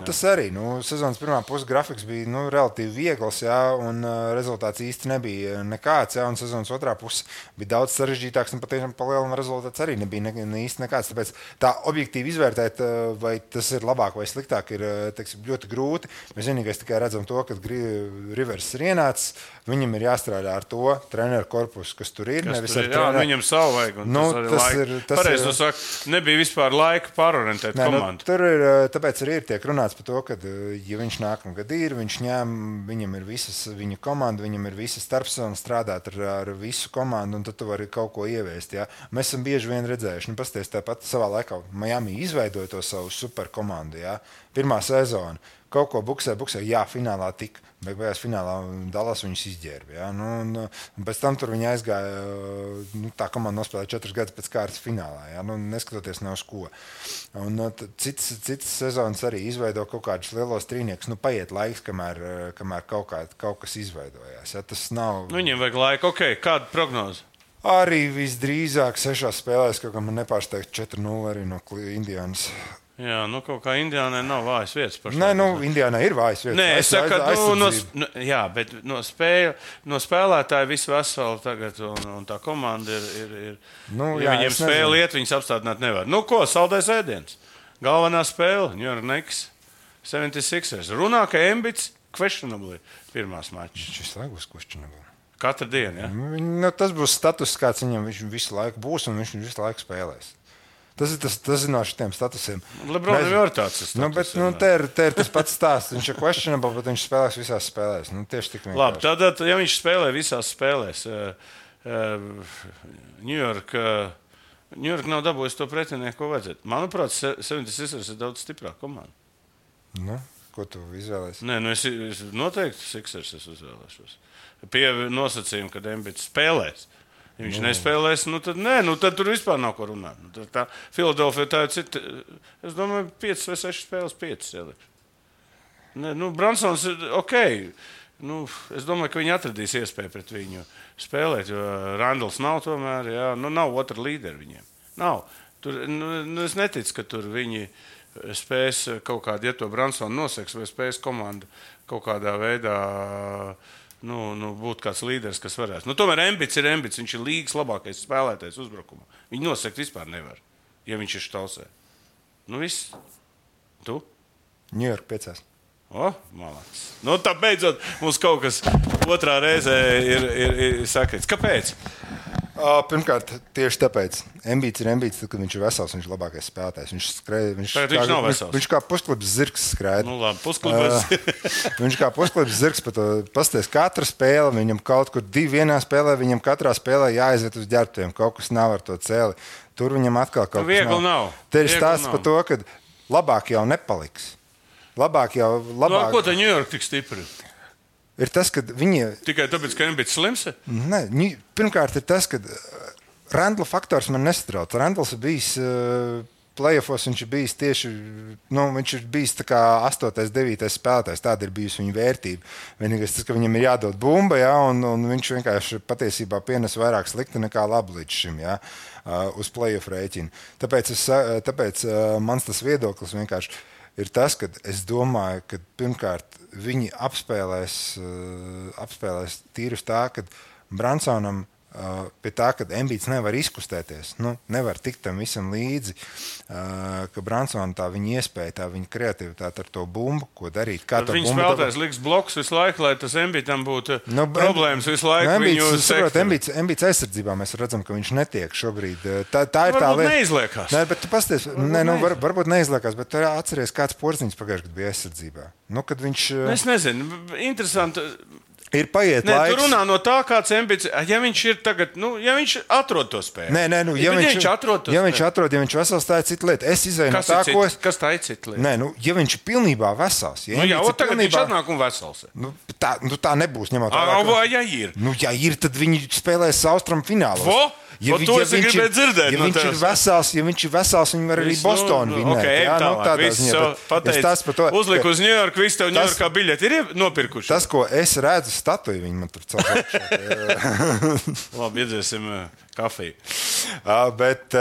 Speaker 3: Tas arī. Sezonas pirmā puse grafiks bija relatīvi viegls, un rezultāts īsti nebija nekāds. Un sezonas otrā puse bija daudz sarežģītāks, un patiešām palielinājuma rezultāts arī nebija īsti nekāds. Tāpēc tā objektīvi izvērtēt, vai tas ir labāk vai sliktāk, ir ļoti grūti. Mēs vienīgais tikai redzam to, ka Rivers ir ienācis. Viņam ir jāstrādā ar to treneru korpusu, kas tur ir.
Speaker 2: Viņam savu vajag. Pareizi tu saki, nebija vispār laika pārorientēt komandu.
Speaker 3: Tur ir, tāpēc arī tiek runāts par to, ka, ja viņš nākamgad ir, viņam ir visas viņa komanda, viņam ir visa starpsezona strādāt ar visu komandu, un tad tu vari kaut ko ieviest. Jā. Mēs esam bieži vien redzējuši, pasties tāpat savā laikā Miami izveidoja to savu superkomandu. Jā. Pirmā sezona. kaut ko buksē, jā, finālā tika. Beigās finālā Dallas viņus izģērba. Ja? Un pēc tam tur viņi aizgāja, tā komanda nospēlēja 4 gadus pēc kārtas finālā, ja? Neskatoties ne uz ko. Un citas sezonas arī izveido kaut kādus lielos trīniekus. Paiet laiks, kamēr kaut kas izveidojās. Ja? Tas nav...
Speaker 2: Viņiem vajag laiku. Kāda prognoze?
Speaker 3: Arī visdrīzāk 6 spēlēs, kaut kā man nepārsteigt 4-0 arī no Indiānas.
Speaker 2: Jā, kaut kā Indiānai nav vājas vietas.
Speaker 3: Nē, Indiānai ir vājas vietas.
Speaker 2: Nē, es saku, jā, bet no spēlētāja visu veselu tagad, un tā komanda ir ja viņiem spēle iet, viņas apstādināt nevar. Ko, saldais ēdiens? Galvenā spēle, New York Knicks, 76ers. Runā, ka Embids questionable pirmās mačas.
Speaker 3: Šis laikus questionable.
Speaker 2: Katru dienu, ja?
Speaker 3: Tas būs status, kāds viņam visu laiku būs, un viņš visu laiku spēlēs. Tas ir no šitiem statusiem.
Speaker 2: Lebronam jau ir tāds status.
Speaker 3: Te ir tas pats stāsts. Viņš ir questionable, bet viņš spēlēs visās spēlēs. Tieši tik vienkārši.
Speaker 2: Labi, tad, ja viņš spēlē visās spēlēs, New York nav dabūjis to pretinieku, ko vajadzētu. Manuprāt, 76ers ir daudz stiprāka komanda.
Speaker 3: Ko tu izvēlēsi?
Speaker 2: Nē, es noteikti Sixers izvēlēšos. Pie nosacījuma, kad Embids spēlēs. Ja viņš nespēlēs, tad tur vispār nav ko runāt. Tā Filadelfija tā ir cita. Es domāju, 5 vai 6 spēles, 5 ieliks. Bransons ir ok. Es domāju, ka viņi atradīs iespēju pret viņu spēlēt, jo Randals nav tomēr, jā. Nav otra līderi viņiem. Nav. Tur, es neticu, ka tur viņi spēs kaut kādu, ja to Bransonu noseks, vai spēs komandu kaut kādā veidā... būt kāds līderis, kas varēs. Tomēr Embids ir Embids. Viņš ir līgas labākais spēlētājs uzbrukumā. Viņu nosekt vispār nevar, ja viņš ir štausē. Viss. Tu?
Speaker 3: New York 5.
Speaker 2: Malācis. Tā beidzot mums kaut kas otrā reizē ir sakrits. Kāpēc?
Speaker 3: Pirmkārt, tieši tāpēc. Embids ir Embids, tad, kad viņš ir vesels, viņš ir labākais spēlētājs.
Speaker 2: Viņš nav vesels.
Speaker 3: Viņš kā pusklips zirgs skraida.
Speaker 2: Labi, pusklips.
Speaker 3: Viņš kā pusklips zirgs, pasties katra spēle, viņam kaut kur 2 vienā spēlē, viņam katrā spēlē jāaiziet uz ģērbtuviem, kaut kas nav ar to cēli. Tur viņam atkal kaut kas nav. Te ir stāsts par to, ka labāk jau nepaliks. Labāk.
Speaker 2: Ko tā New York tik stipri?
Speaker 3: Ir tas, ka viņi...
Speaker 2: Tikai tāpēc, ka Embids slims?
Speaker 3: Nē, pirmkārt ir tas, ka Randla faktors man nesatrauc. Randls ir bijis playoffos, viņš ir bijis tieši, viņš ir bijis tā kā 8. 9. spēlētājs. Tāda ir bijusi viņa vērtība. Vienīgais tas, ka viņam ir jādod bumba, ja, un viņš vienkārši patiesībā pienes vairāk slikti nekā labi līdz šim, ja, uz playoff rēķinu. Tāpēc mans tas viedoklis vienkārši ir tas, ka es domāju, ka pirmkārt viņi apspēlēs tīri uz tā, ka Bransonam pie tā, ka Embids nevar izkustēties, nevar tikt tam visam līdzi, ka Bransona tā viņa iespēja, tā viņa kreativitāte ar to bumbu, ko darīt.
Speaker 2: Viņa spēlētājs liks bloks visu laiku, lai tas Embidam būtu problēmas visu laiku.
Speaker 3: Embids aizsardzībā mēs redzam, ka viņš netiek šobrīd. Tā ir tā lieta.
Speaker 2: Varbūt neizliekās.
Speaker 3: Nē, bet tu pasties, varbūt neizliekās, bet tu atceries, kāds Porziņš pagājušajā gadā bija aizsardzībā. Kad viņš...
Speaker 2: Es nezinu, interesanti...
Speaker 3: Ir paiet laiks.
Speaker 2: Tu runā no tā, kāds Embids, ja viņš ir tagad, ja viņš atrod to spēli.
Speaker 3: Nē, ja viņš vesels, tā ir cita lieta. Es izēju no tā, ko es...
Speaker 2: Kas tā ir cita lieta?
Speaker 3: Nē, ja viņš ir pilnībā vesels.
Speaker 2: Tagad viņš atnāk un vesels.
Speaker 3: Tā nebūs, ņemot
Speaker 2: vērā. Ja ir?
Speaker 3: Ja ir, tad viņi spēlēs Austrum finālos. Ja viņš ir vesels, viņi var arī Bostonu vinēt.
Speaker 2: Uzliku uz New York, visu tev New Yorkā biļeti ir nopirkuši.
Speaker 3: Tas, ko es redzu, statuju viņi man tur celšu.
Speaker 2: Labi, iedzēsim kafiju.
Speaker 3: Bet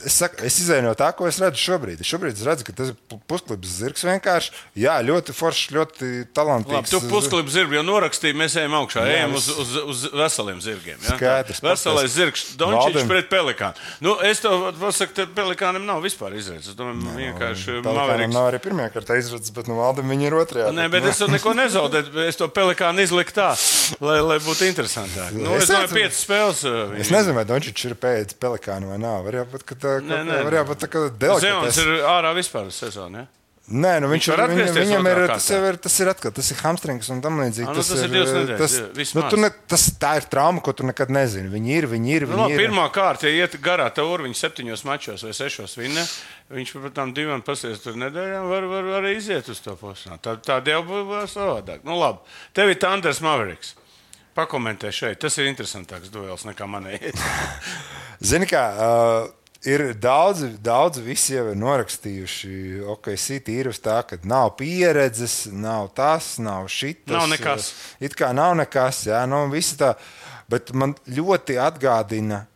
Speaker 3: es izēju no tā, ko es redzu šobrīd. Šobrīd es redzu, ka tas ir pusklips zirgs vienkārši. Jā, ļoti foršs, ļoti talantīgs.
Speaker 2: Labi, tu pusklips zirgu jau norakstīji, mēs ejam augšā. Ejam uz veseliem zirgiem. Ja?
Speaker 3: Skaidrs.
Speaker 2: Veselais zirgs, Dončičs pret Pelikānu. Es tev pasaku, ka Pelikānam nav vispār izredzes. Es domāju, vienkārši
Speaker 3: Pelikānam nav arī pirmajā kārtā izredzes, bet Valdam viņi ir otrajā.
Speaker 2: Nē, bet es to neko nezaudēju. Es to Pelikānu izliku tā, lai būtu interesantāk. Es domāju, 5 spēles.
Speaker 3: Es nezinu, vai Dončičs ir pēc Pelikānu vai nav. Var jābūt, ka delikatēs.
Speaker 2: Zions ir ārā vispār uz sezonu, ja?
Speaker 3: Nē, nu viņam tas ir atkal, tas ir hamstrings un tam līdzīgi.
Speaker 2: Tas ir 2 nedēļas, vismaz.
Speaker 3: Tā ir trauma, ko tu nekad nezini. Viņi ir.
Speaker 2: Pirmā kārta, ja iet garā tauri, viņi 7 mačos vai 6 vinne, viņš par tām 2 pasties tur nedēļām var arī iziet uz to posmu. Tāda jau būs savādāk. Nu labi, tev ir Thunders Mavericks. Pakomentē šeit, tas ir interesantāks duels nekā manēji.
Speaker 3: Zini kā... Ir daudzi visi jau ir norakstījuši, OKC tīri uz tā, ka nav pieredzes, nav tas, nav šitas.
Speaker 2: Nav nekas.
Speaker 3: It kā nav nekas, jā, visi tā. Bet man ļoti atgādina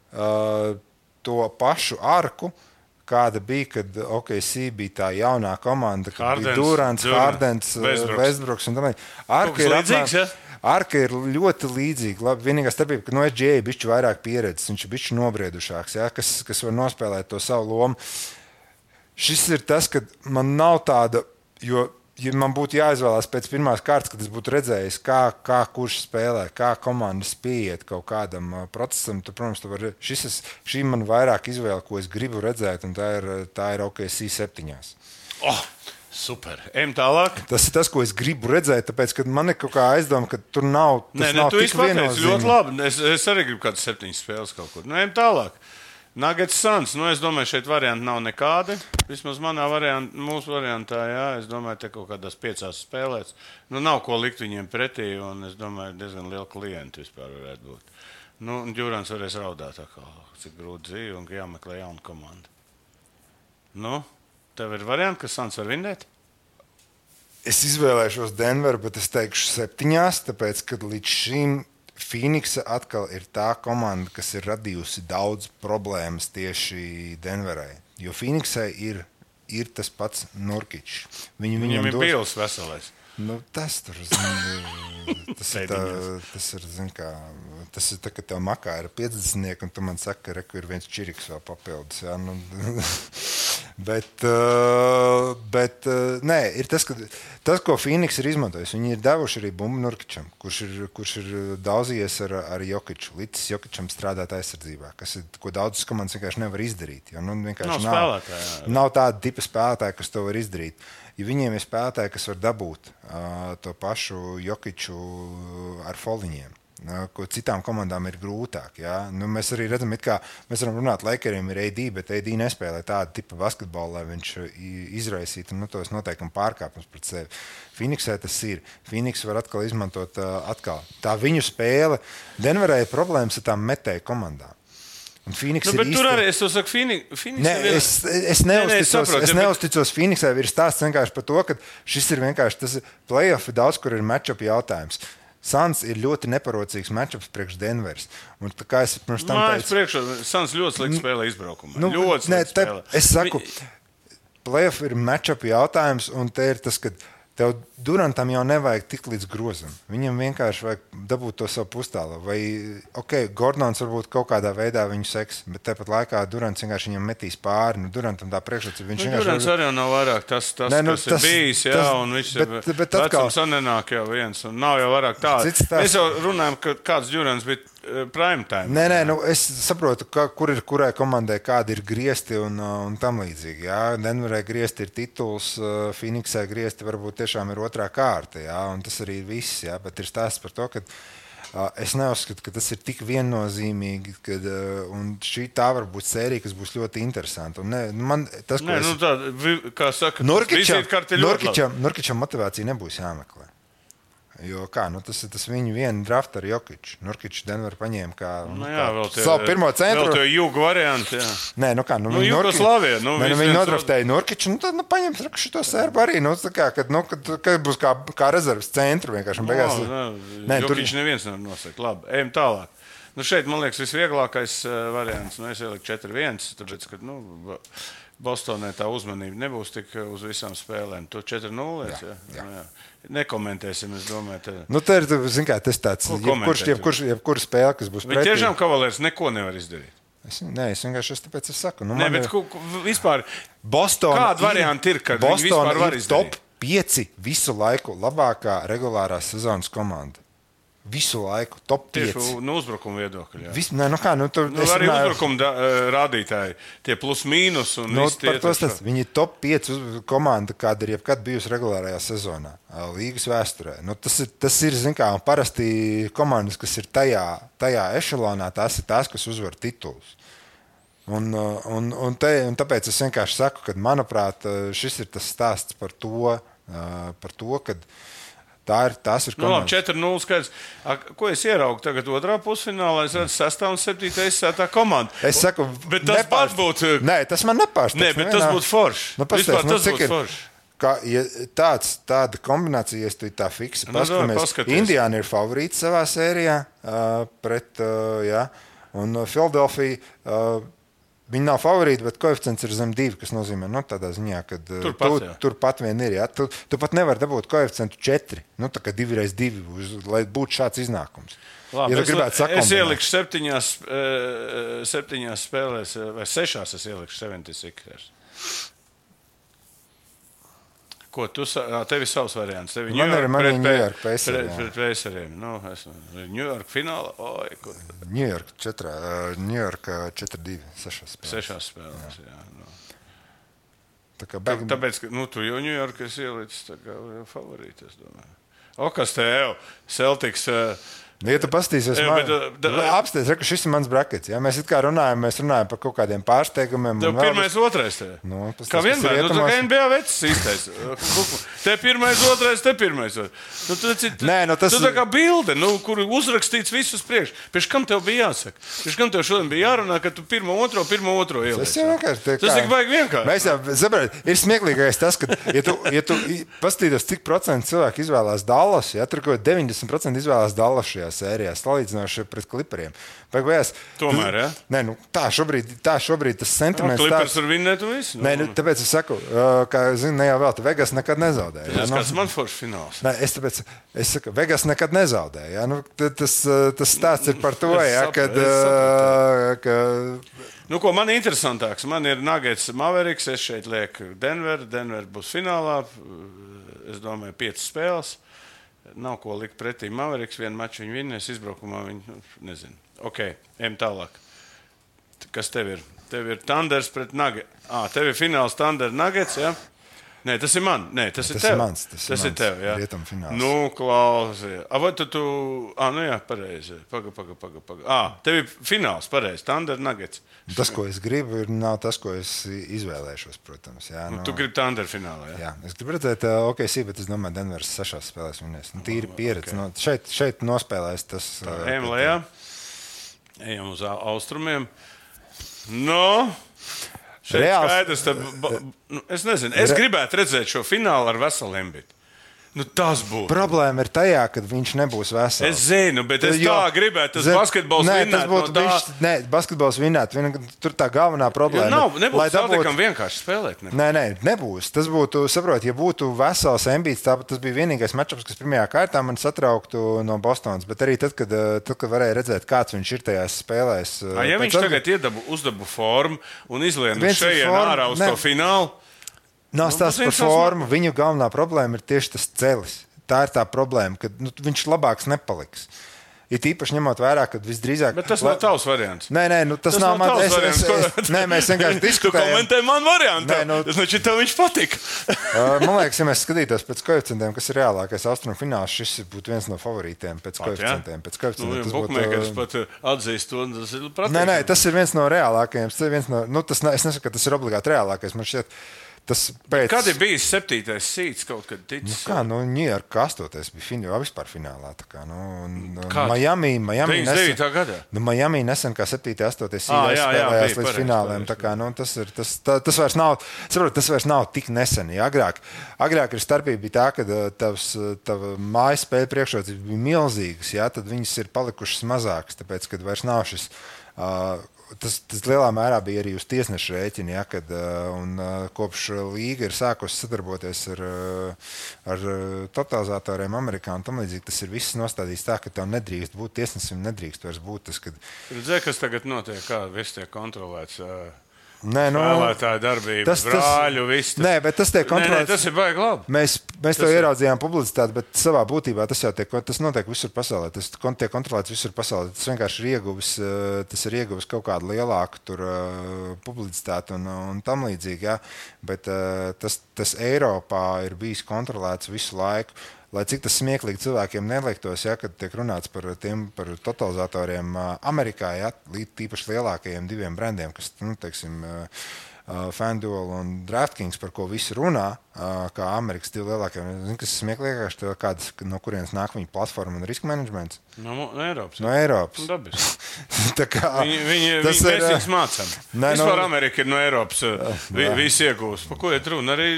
Speaker 3: to pašu arku, kāda bija, kad OKC bija tā jaunā komanda, kad bija Durants, Hardens, Westbrooks un tā līdz.
Speaker 2: Arka ir līdzīgs, ja?
Speaker 3: Arka ir ļoti līdzīga. Labi, vienīgā starpība, ka SGA ir bišķi vairāk pieredzes, viņš ir bišķi nobriedušāks, ja, kas var nospēlēt to savu lomu. Šis ir tas, ka man nav tāda, jo ja man būtu jāizvēlās pēc pirmās kārtas, kad es būtu redzējis, kā kurš spēlē, kā komandas pieiet kaut kādam procesam, tad, protams, šī man vairāk izvēle, ko es gribu redzēt, un tā ir OKC 7.
Speaker 2: Super. Ejam tālāk.
Speaker 3: Tas ir tas, ko es gribu redzēt, tāpēc, ka man ir kaut kā aizdoma, ka tur nav tik viennozīmīgi.
Speaker 2: Ļoti labi. Es arī gribu kādas 7 spēles kaut kur. Ejam tālāk. Nuggets Suns. Es domāju, šeit varianti nav nekādi. Vismaz mūsu variantā, jā, es domāju, te kaut kādās 5 spēlēs. Nav ko likt viņiem pretī, un es domāju, diezgan liela klienta vispār varētu būt. Durants varēs raudāt atkal, cik grūti dzīvi un ka jāmeklē jauna komanda. Tev ir varianti, ka Suns var vinnēt?
Speaker 3: Es izvēlēšos Denveru, bet es teikšu 7, tāpēc, ka līdz šim Phoenixa atkal ir tā komanda, kas ir radījusi daudz problēmas tieši Denverai. Jo Phoenixai ir tas pats Nurkičs.
Speaker 2: Viņam ir Bils veselais.
Speaker 3: Tas ir tā, ka tev makā ir 50, un tu man saki, ka ir viens čiriks vēl papildus. Jā, bet nē, ir tas, ko Phoenix ir izmantojis. Viņi ir devuši arī bumbu Nurkičam, kurš ir daudzījies ar Jokiču. Līdz Jokičam strādāt aizsardzībā, ko daudzas komandas vienkārši nevar izdarīt. Jo, nav tāda tipa spēlētāja, kas to var izdarīt. Ja viņiem ir spēlētāji, kas var dabūt to pašu Jokiču ar foliņiem, ko citām komandām ir grūtāk. Ja? Mēs arī redzam, mēs varam runāt, Lakeriem ir AD, bet AD nespēlē tādu tipu basketbolu, lai viņš izraisītu tos noteikumi pārkāpums pret sevi. Phoenixai tas ir. Phoenix var atkal izmantot tā viņu spēle. Denverai ir problēmas ar tām metēju komandām.
Speaker 2: Bet tur arī es saku, Phoenix
Speaker 3: es neuzticos Phoenixai. Ir stāsts vienkārši par to, ka šis ir vienkārši tas playoff, daudz, kur ir matchup jautājums. Suns ir ļoti neparocīgs matchups priekš Denveras. Un tā kā es pirms tam teicu...
Speaker 2: Suns ļoti slikti spēlē izbraukumā. Ļoti slikti spēlē.
Speaker 3: Es saku, playoff ir matchup jautājums, un te ir tas, ka tev Durantam jau nevajag tik līdz grozam. Viņam vienkārši vajag dabūt to savu pustālu. Vai, Gordons varbūt kaut kādā veidā viņu seks, bet tāpat laikā Durants vienkārši viņam metīs pāri. Durantam tā priekšrocība.
Speaker 2: Durants arī nav vairāk tas kas ir bijis, jā, un viņš vecums nenāk jau viens, un nav jau vairāk tāds. Mēs jau runājam, ka kāds Durants bija prime time.
Speaker 3: Nē, es saprotu, kur ir kurai komandai kādi ir griesti un tam līdzīgi. Jā. Denverai griesti ir tituls, Phoenixai griesti varbūt tiešām ir otrā kārta, jā, un tas arī ir viss, jā, bet ir stāsts par to, ka es neuzskatu, ka tas ir tik viennozīmīgi, un tā var būt sērija, kas būs ļoti interesanta. Un
Speaker 2: kā saka,
Speaker 3: Nurkičam motivācija nebūs jāmeklē. Jo tas ir tas viņu viena drafta ar Jokiču. Nurkičs Denver paņēma kā savu pirmo centru.
Speaker 2: Vēl to jūgu variantu, jā.
Speaker 3: Nē,
Speaker 2: Jugoslavija.
Speaker 3: Viņi nodraftēja Nurkiču, tad paņems šito sērbu arī. Kad būs kā rezerves centru vienkārši.
Speaker 2: Jokičs neviens nevar nosakt. Labi, ejam tālāk. Šeit, man liekas, visvieglākais variants. Es ieliku 4-1, tāpēc, ka Bostonē tā uzmanība nebūs tik uz visām spēlēm. To 4-0. Jā. Nekomentēsim, es domāju.
Speaker 3: Tā ir, tas tāds, jebkura spēle, kas būs pretī.
Speaker 2: Bet tiešām Kavalērs neko nevar izdarīt.
Speaker 3: Es vienkārši tāpēc es saku.
Speaker 2: Bet vispār, kāda varianta ir, kad viņi vispār var izdarīt?
Speaker 3: Top 5 visu laiku labākā regulārās sezonas komanda. visu laiku top 5.
Speaker 2: Tieši no uzbrukuma viedokļa.
Speaker 3: Arī
Speaker 2: uzbrukuma rādītāji, tie plus mīnus.
Speaker 3: Viņi ir top 5 komanda, kāda ir jebkad bijusi regulārajā sezonā, līgas vēsturē. Tas ir zin kā, parasti komandas, kas ir tajā ešelonā, tās ir tās, kas uzvar titulus. Un tāpēc es vienkārši saku, ka, manuprāt, šis ir tas stāsts par to, ka tās ir komandas.
Speaker 2: 4-0 skaidrs. Ko es ieraugu tagad otrā pusfinālā? Es redzu 6. un 7. izsētā komandu.
Speaker 3: Es saku,
Speaker 2: bet tas pat būtu...
Speaker 3: Nē, tas man nepārsteidz.
Speaker 2: Nē, bet tas būtu forši.
Speaker 3: Vispār
Speaker 2: tas būtu forši.
Speaker 3: Tāda kombinācija, ja tu tā fiksi paskatāmies. Indiāna ir favorīti savā sērijā pret, un Philadelphia... Viņi nav favorīti, bet koeficients ir zem 2, kas nozīmē, tādā ziņā, ka turpat vien ir. Ja? Tu pat nevari dabūt koeficientu 4, tā kā 2x2, lai būtu šāds iznākums.
Speaker 2: Labi, ja es ielikšu 7 spēlēs, vai 6 es ielikšu 76ers. Ko tu tev ir savs variants? Tev
Speaker 3: man ir New York Pacers.
Speaker 2: Pret Paceriem. New York fināla.
Speaker 3: New York 4-2, 6 spēlēs.
Speaker 2: 6 spēlēs, jā.
Speaker 3: Tāpēc,
Speaker 2: ka tu jau New York esi ielicis tā kā favorīti, es domāju. Kas tev? Celtics...
Speaker 3: Ja tu pastīsies, apsties, ka šis ir mans brakets. Ja? Mēs runājam par kaut kādiem pārsteigumiem.
Speaker 2: Tev pirmais, otrais. Kā vienmēr, tā kā NBA vecs īstais. Te pirmais, otrais, te pirmais. Tu tā kā bilde, kur uzrakstīts visus priekš. Pēc kam tev bija jāsaka? Pēc kam tev šodien bija jārunā, ka tu pirmo, otro ieliec? Tas tik vajag vienkārši.
Speaker 3: Mēs jau, saprāt, ir smieklīgais tas, ka, ja tu pastītos, cik procentu cilvēku izvēlās Dallas, ja tur kaut 90% izvēlās Dallas šajā sērijā, salīdzinoši pret Clipperiem.
Speaker 2: Tomēr, ja?
Speaker 3: Nē, tā šobrīd tas sentiments...
Speaker 2: Clippers var vinnēt un visu.
Speaker 3: Nē, tāpēc es saku, ka, ne jau vēl, Vegas nekad nezaudēja.
Speaker 2: Tas kāds man foršs fināls.
Speaker 3: Nē, es saku, Vegas nekad nezaudēja. Ja? Tas stāsts ir par to, ja, kad...
Speaker 2: Ko man interesantāks? Man ir Nuggets Mavericks, es šeit lieku Denver būs finālā, es domāju, 5 spēles. Nav ko likt pretī Mavericks, vienu maču viņi vinnēs, izbraukumā viņi, nezinu. Ejam tālāk. Kas tev ir? Tev ir Thunders pret Nuggets. Tev ir fināls Thunder Nuggets, ja? Nē, tas ir man. Nē, tas ir tev. Tas ir tev, jā. Klausies. Vai tu... jā, pareizi. Paga. Tev ir fināls, pareizi. Thunder Nuggets.
Speaker 3: Tas, ko es gribu, nav tas, ko es izvēlēšos, protams. Jā,
Speaker 2: Tu gribi Thunder finālā, jā?
Speaker 3: Jā, es gribu redzēt OKC, bet es domāju, Denveras 6 spēlēs vinnēs. Tīri pieredze. Šeit nospēlēs tas...
Speaker 2: Ejam lejā. Ejam uz austrumiem. Šeit skaidrs, es nezinu, es gribētu redzēt šo finālu ar veselu Embiidu. Tas būtu.
Speaker 3: Problēma ir tajā, ka viņš nebūs vesels.
Speaker 2: Es zinu, bet es tā gribētu, tas basketbols vinnēt.
Speaker 3: Nē, basketbols vinnēt. Tur tā galvenā problēma.
Speaker 2: Nebūtu Celticam vienkārši spēlēt.
Speaker 3: Nebūs. Tas būtu, saprot, ja būtu vesels Embiids, tas bija vienīgais matčups, kas pirmajā kārtā man satrauktu no Bostonas. Bet arī tad, kad varēja redzēt, kāds viņš ir tajās spēlēs.
Speaker 2: Ja viņš tagad uzdabu formu un izlien šeit ārā uz to finālu,
Speaker 3: nav stāsts par formu. Viņu galvenā problēma ir tieši tas celis. Tā ir tā problēma, ka viņš labāks nepaliks. Ir īpaši ņemot vērā, ka visdrīzāk...
Speaker 2: Bet tas nav tavs variants.
Speaker 3: Nē, tas nav mans variants. Nē, mēs vienkārši diskutējam.
Speaker 2: Tu komentē man variantu. Tas taču tev viņš patika.
Speaker 3: Man liekas, ja mēs skatītos pēc koeficientiem, kas ir reālākais austrumu fināls, šis būtu viens no favorītiem pēc koeficientiem.
Speaker 2: Bukmēkers pat atzīst to, un tas ir pratīgs.
Speaker 3: Nē, tas ir viens no reālākajiem. Es nesaku, ka tas ir obligāti reālākais. Man šķiet,
Speaker 2: kad ir bijis 7. sīts kaut kad ticis?
Speaker 3: New York 8. bija vispār finālā. Miami
Speaker 2: 99. gadā.
Speaker 3: Miami nesen kā 7. 8. sīts spēlējās līdz fināliem. Tas vairs nav tik nesen. Ja? Agrāk ir starpība bija tā, ka tava mājas spēļu priekšrocības bija milzīgas, ja? Tad viņas ir palikušas mazākas, tāpēc, kad vairs nav šis... Tas lielā mērā bija arī uz tiesnešu rēķina, ja, kopš līga ir sākusi sadarboties ar totalizatoriem Amerikā un tam līdzīgi. Tas ir viss nostādīts tā, ka tev nedrīkst būt tiesnesim, nedrīkst vairs būt tas, kad...
Speaker 2: Redzēji, kas tagad notiek, kā viss tiek kontrolēts Spēlētāju darbība, brāļu, viss.
Speaker 3: Nē, bet tas tiek kontrolēts.
Speaker 2: Tas ir baigi labi.
Speaker 3: Mēs to ieraudzījām publicitāti, bet savā būtībā tas notiek visur pasaulē. Tas tiek kontrolēts visur pasaulē. Tas vienkārši ir ieguvis kaut kādu lielāku publicitāti un tam līdzīgi. Ja? Bet tas Eiropā ir bijis kontrolēts visu laiku. Lai cik tas smieklīgi cilvēkiem neliktos, ja, kad tiek runāts par totalizatoriem Amerikā, ja, tīpaši lielākajiem diviem brandiem, kas, teiksim, FanDuel un DraftKings, par ko visi runā, kā Amerikas divi lielākie. Zini, kas ir smieklīgākais, no kurienes nāk viņa platforma un riska menedžments?
Speaker 2: No Eiropas.
Speaker 3: No Eiropas.
Speaker 2: Tā kā mēs viņus mācām. Vispār Amerika ir no Eiropas. Visi iegūst. Pa ko iet runa? Arī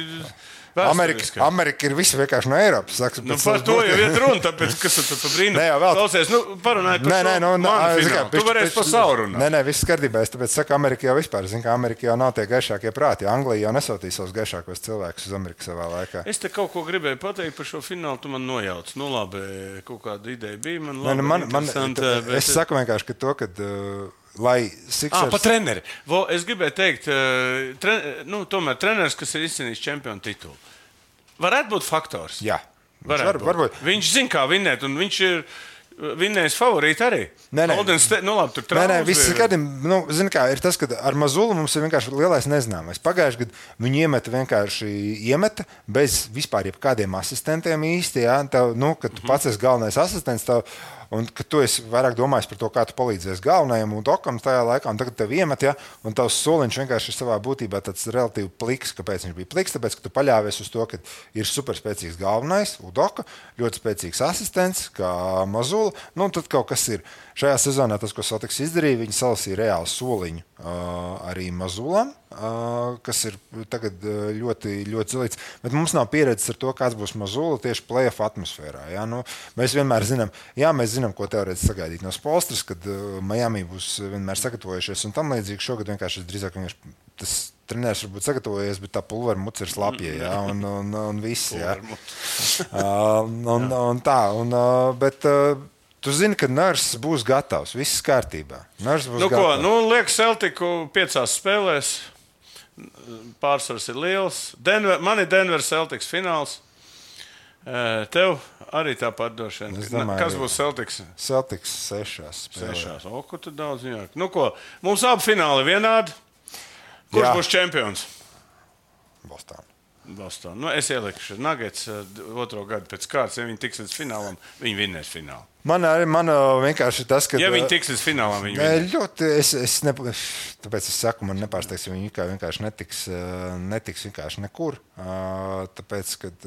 Speaker 3: Amerika ir visi vienkārši no Eiropas.
Speaker 2: Par to jau iet runa, tāpēc, kas tu pa brīnu klausies, parunāji par šo manu finālu. Tu varēsi par savu runāt.
Speaker 3: Nē, viss kārtībā. Es tāpēc saku, Amerika jau vispār. Zinu, ka Amerika jau nav tie gaišākie prāti. Anglija jau nesautīja savus gaišākos cilvēkus uz Ameriku savā laikā.
Speaker 2: Es te kaut ko gribēju pateikt par šo finālu, tu man nojauc. Nu labi, kaut kāda ideja bija. Man interesanta.
Speaker 3: Es saku vienkārši, ka to, kad... Lai Sixers...
Speaker 2: Pa treneri. Es gribēju teikt, tomēr treneris, kas ir izcīnījis čempionu titulu. Varētu būt faktors.
Speaker 3: Jā.
Speaker 2: Varbūt. Viņš zina, kā vinnēt, un viņš ir vinnējis favorīti arī.
Speaker 3: Nē.
Speaker 2: Labi, tur traumas
Speaker 3: viss zini kā, ir tas, ka ar Mazulu mums ir vienkārši lielais nezināmais. Pagājuši gadu viņi iemeta bez vispār jebkādiem asistentiem īsti, ja? Kad tu pats esi galvenais asistents, un ka tu esi vairāk domājis par to, kā tu palīdzēsi galvenajam un dokam tajā laikā, un tagad tev iemet, ja, un tavs soliņš vienkārši ir savā būtībā tāds relatīvi pliks. Kāpēc viņš bija pliks? Tāpēc, ka tu paļāvies uz to, ka ir superspēcīgs galvenais, Udoka, ļoti spēcīgs asistents, kā Mazula, un tad kaut kas ir. Šajā sezonā tas, ko Celtics izdarīja, viņi salasīja reāli soliņu arī Mazulam, kas ir tagad ļoti, ļoti zilīts. Bet mums nav pieredzes ar to, kāds būs Mazula tieši play-off atmosfērā. Ja? Mēs vienmēr zinām, ko teorētiski sagaidīt no Spolstras, kad Miami būs vienmēr sagatavojušies un tam līdzīgi. Šogad vienkārši drīzāk tas treneris varbūt sagatavojies, bet tā pulvera muca ir slapja, ja? un viss. Ja? Bet tu zini, ka Nurse būs gatavs, viss kārtībā.
Speaker 2: Liek Celticu 5 spēlēs, pārsvars ir liels. Man ir Denver Celtics fināls. Tev arī tāpat droši vien. Kas būs Celtics?
Speaker 3: Celtics 6 spēlēs.
Speaker 2: 6. Ko tu daudz ņāk? Mums abi fināli vienādi. Kurš būs čempions? Boston. Es ielikšu Nuggets 2. gadu pēc kārtas. Ja viņi tiks līdz finālam, viņi vinnēs finālu.
Speaker 3: Man vienkārši tas, ka...
Speaker 2: Ja viņi tiks līdz finālam, viņi vinnēs.
Speaker 3: Tāpēc es saku, man nepārsteigs, ja viņi vienkārši netiks vienkārši nekur. Tāpēc, kad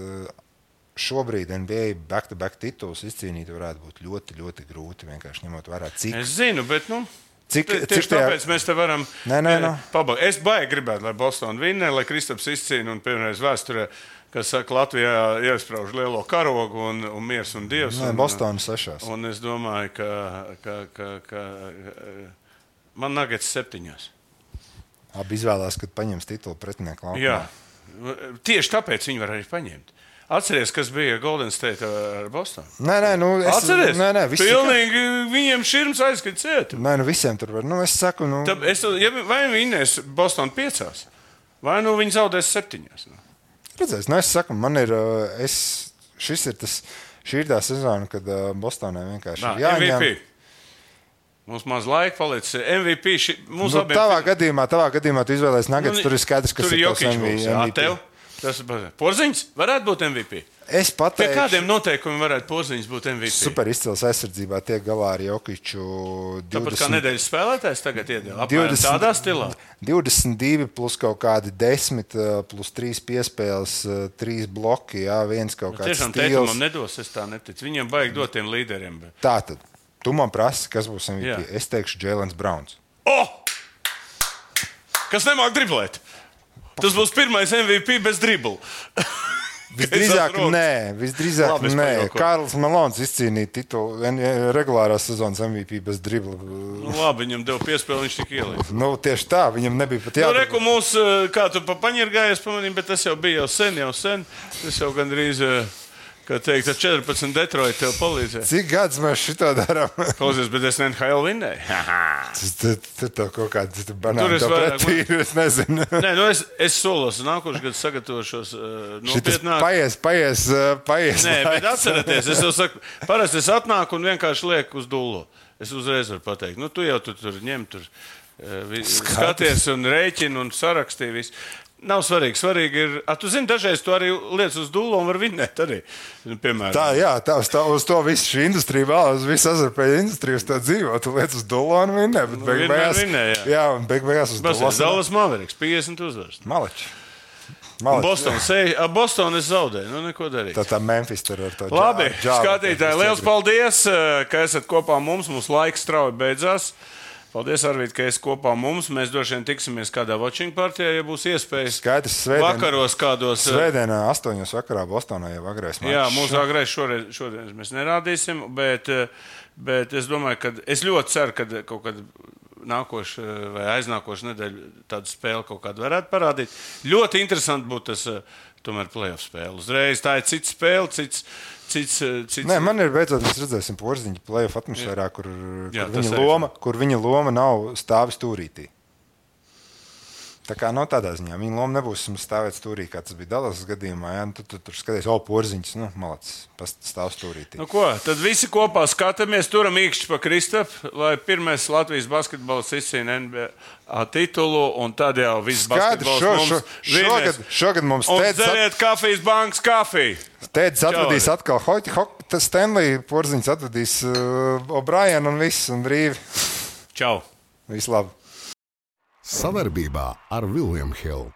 Speaker 3: šobrīd NBA back-to-back tituls izcīnīt varētu būt ļoti, ļoti grūti. Vienkārši ņemot vērā, cik...
Speaker 2: Es zinu, bet
Speaker 3: Tieši
Speaker 2: tāpēc mēs te varam
Speaker 3: pabeigt.
Speaker 2: Es baigi gribētu, lai Boston vinnē, lai Kristaps izcīna un pirmreiz vēsturē, kas saka, Latvijā iesprauž lielo karogu un miers un dievs.
Speaker 3: Boston 6.
Speaker 2: Un es domāju, ka man Nuggets 7.
Speaker 3: Abi izvēlās, kad paņems titulu pretinieku laukumā.
Speaker 2: Jā, tieši tāpēc viņi var arī paņemt. Atceries, kas bija Golden State ar Bostonu?
Speaker 3: Atceries?
Speaker 2: Pilnīgi viņiem širms aizskat ciet.
Speaker 3: Visiem tur var. Es saku,
Speaker 2: vai vinnēs Bostonu 5, vai viņi zaudēs 7.
Speaker 3: Redzēs, es saku, man ir, šī ir tā sezona, kad Bostonai vienkārši ir jāņem.
Speaker 2: MVP. Mums maz laika palicis. MVP.
Speaker 3: Tavā gadījumā tu izvēlēsi Nuggets, tur ir skaidrs, kas ir tos
Speaker 2: MVP. Tas ir Porziņš. Varētu būt MVP.
Speaker 3: Es pateikšu,
Speaker 2: pie kādiem noteikumiem varētu Porziņš būt MVP?
Speaker 3: Super izcils aizsardzībā tiek galā ar Jokiču.
Speaker 2: Tāpat kā nedēļas spēlētājs tagad iedēļ. Apmēram tādā stilā.
Speaker 3: 22 plus kaut kādi 10 plus 3 piespēles, 3 bloki, jā, viens kaut kāds
Speaker 2: tiešām
Speaker 3: stils.
Speaker 2: Teitumam nedos, es tā neticu. Viņiem baigi dot tiem līderiem. Bet...
Speaker 3: Tātad, tu man prasi, kas būs MVP. Jā. Es teikšu Jēlens Brauns.
Speaker 2: Kas nemāk driblēt? Tas būs pirmais MVP bez dribla.
Speaker 3: Visdrīzāk nē. Kārls Malons izcīnīja titulu regulārās sezonas MVP bez dribla.
Speaker 2: Labi, viņam deva piespēli, viņš tik ielīdz.
Speaker 3: Tieši tā, viņam nebija pat jābūt.
Speaker 2: Reku mūs, kā tu paņirgājies pamanīm, bet tas jau bija jau sen. Tas jau gandrīz, Kā teikt, ar 14 Detroit tev palīdzēja.
Speaker 3: Cik gadus mēs šito darām?
Speaker 2: Klausies, bet es NHL vinnēju.
Speaker 3: Tur to kaut kāds banāni to
Speaker 2: vairāk-
Speaker 3: pretī, es nezinu.
Speaker 2: Nē, nu es solos, nākošu gadu sagatavošos
Speaker 3: Šitas
Speaker 2: nopietnāk.
Speaker 3: paies.
Speaker 2: Nē, bet atcerieties, es jau saku, parasti es atnāku un vienkārši lieku uz dullo. Es uzreiz varu pateikt, nu tu jau tur ņem, skaties un rēķini un sarakstīji visu. Nav svarīgi. Svarīgi ir, tu zini, dažreiz tu arī liec uz dullo un var vinnēt arī. Nu, piemēram.
Speaker 3: Uz to visu šī industrija vēlas, visu azarpēju industriju uz to dzīvo. Tu liec uz dullo un vinnē, bet beigās uz dullo.
Speaker 2: Dallas Mavericks, 50 uzvaras.
Speaker 3: Maleči.
Speaker 2: Boston es zaudēju, nu neko darīt.
Speaker 3: Tā Memphis tur ar to
Speaker 2: Labi, skatītāji, liels paldies, ka esat kopā mums. Mums laiks strauji beidzās. Paldies, Arvīd, ka esi kopā mums. Mēs droši vien tiksimies kādā watching partijā, ja būs iespējas.
Speaker 3: Skaidrs,
Speaker 2: vakaros kādos.
Speaker 3: Svētdienā 8 vakarā Bostonā jau agrais mačs.
Speaker 2: Jā, mūsu agrais šodien mēs nerādīsim, bet es domāju, ka es ļoti ceru, ka kaut kad nākošu vai aiznākošu nedēļu tādu spēli kaut kādu varētu parādīt. Ļoti interesanti būtu tas tomēr playoff spēle. Uzreiz tā ir cita spēle, cits.
Speaker 3: Nē, man ir beidzot, mēs redzēsim Porziņu playoff atmosfērā, kur viņa loma nav stāvi stūrītī. Tā kā no tādā ziņā viņa loma nebūs stāvēt stūrī, kā tas bija Dallas gadījumā. Ja? Tu tur skaties, Porziņš, malacis, stāv stūrītī.
Speaker 2: Nu ko, tad visi kopā skatāmies, turam īkšķi pa Kristapu, lai pirmais Latvijas basketbols izcīna NBA titulu, un tad jau viss basketbols mums vinēs.
Speaker 3: Šogad mums
Speaker 2: un dzeriet kafijas bankas kafiju.
Speaker 3: Tēdz atvedīs atkal Stanley, Porziņš atvedīs O'Brien un viss, un brīvi.
Speaker 2: Čau!
Speaker 3: Visu labu!
Speaker 1: Savarbībā ar William Hill.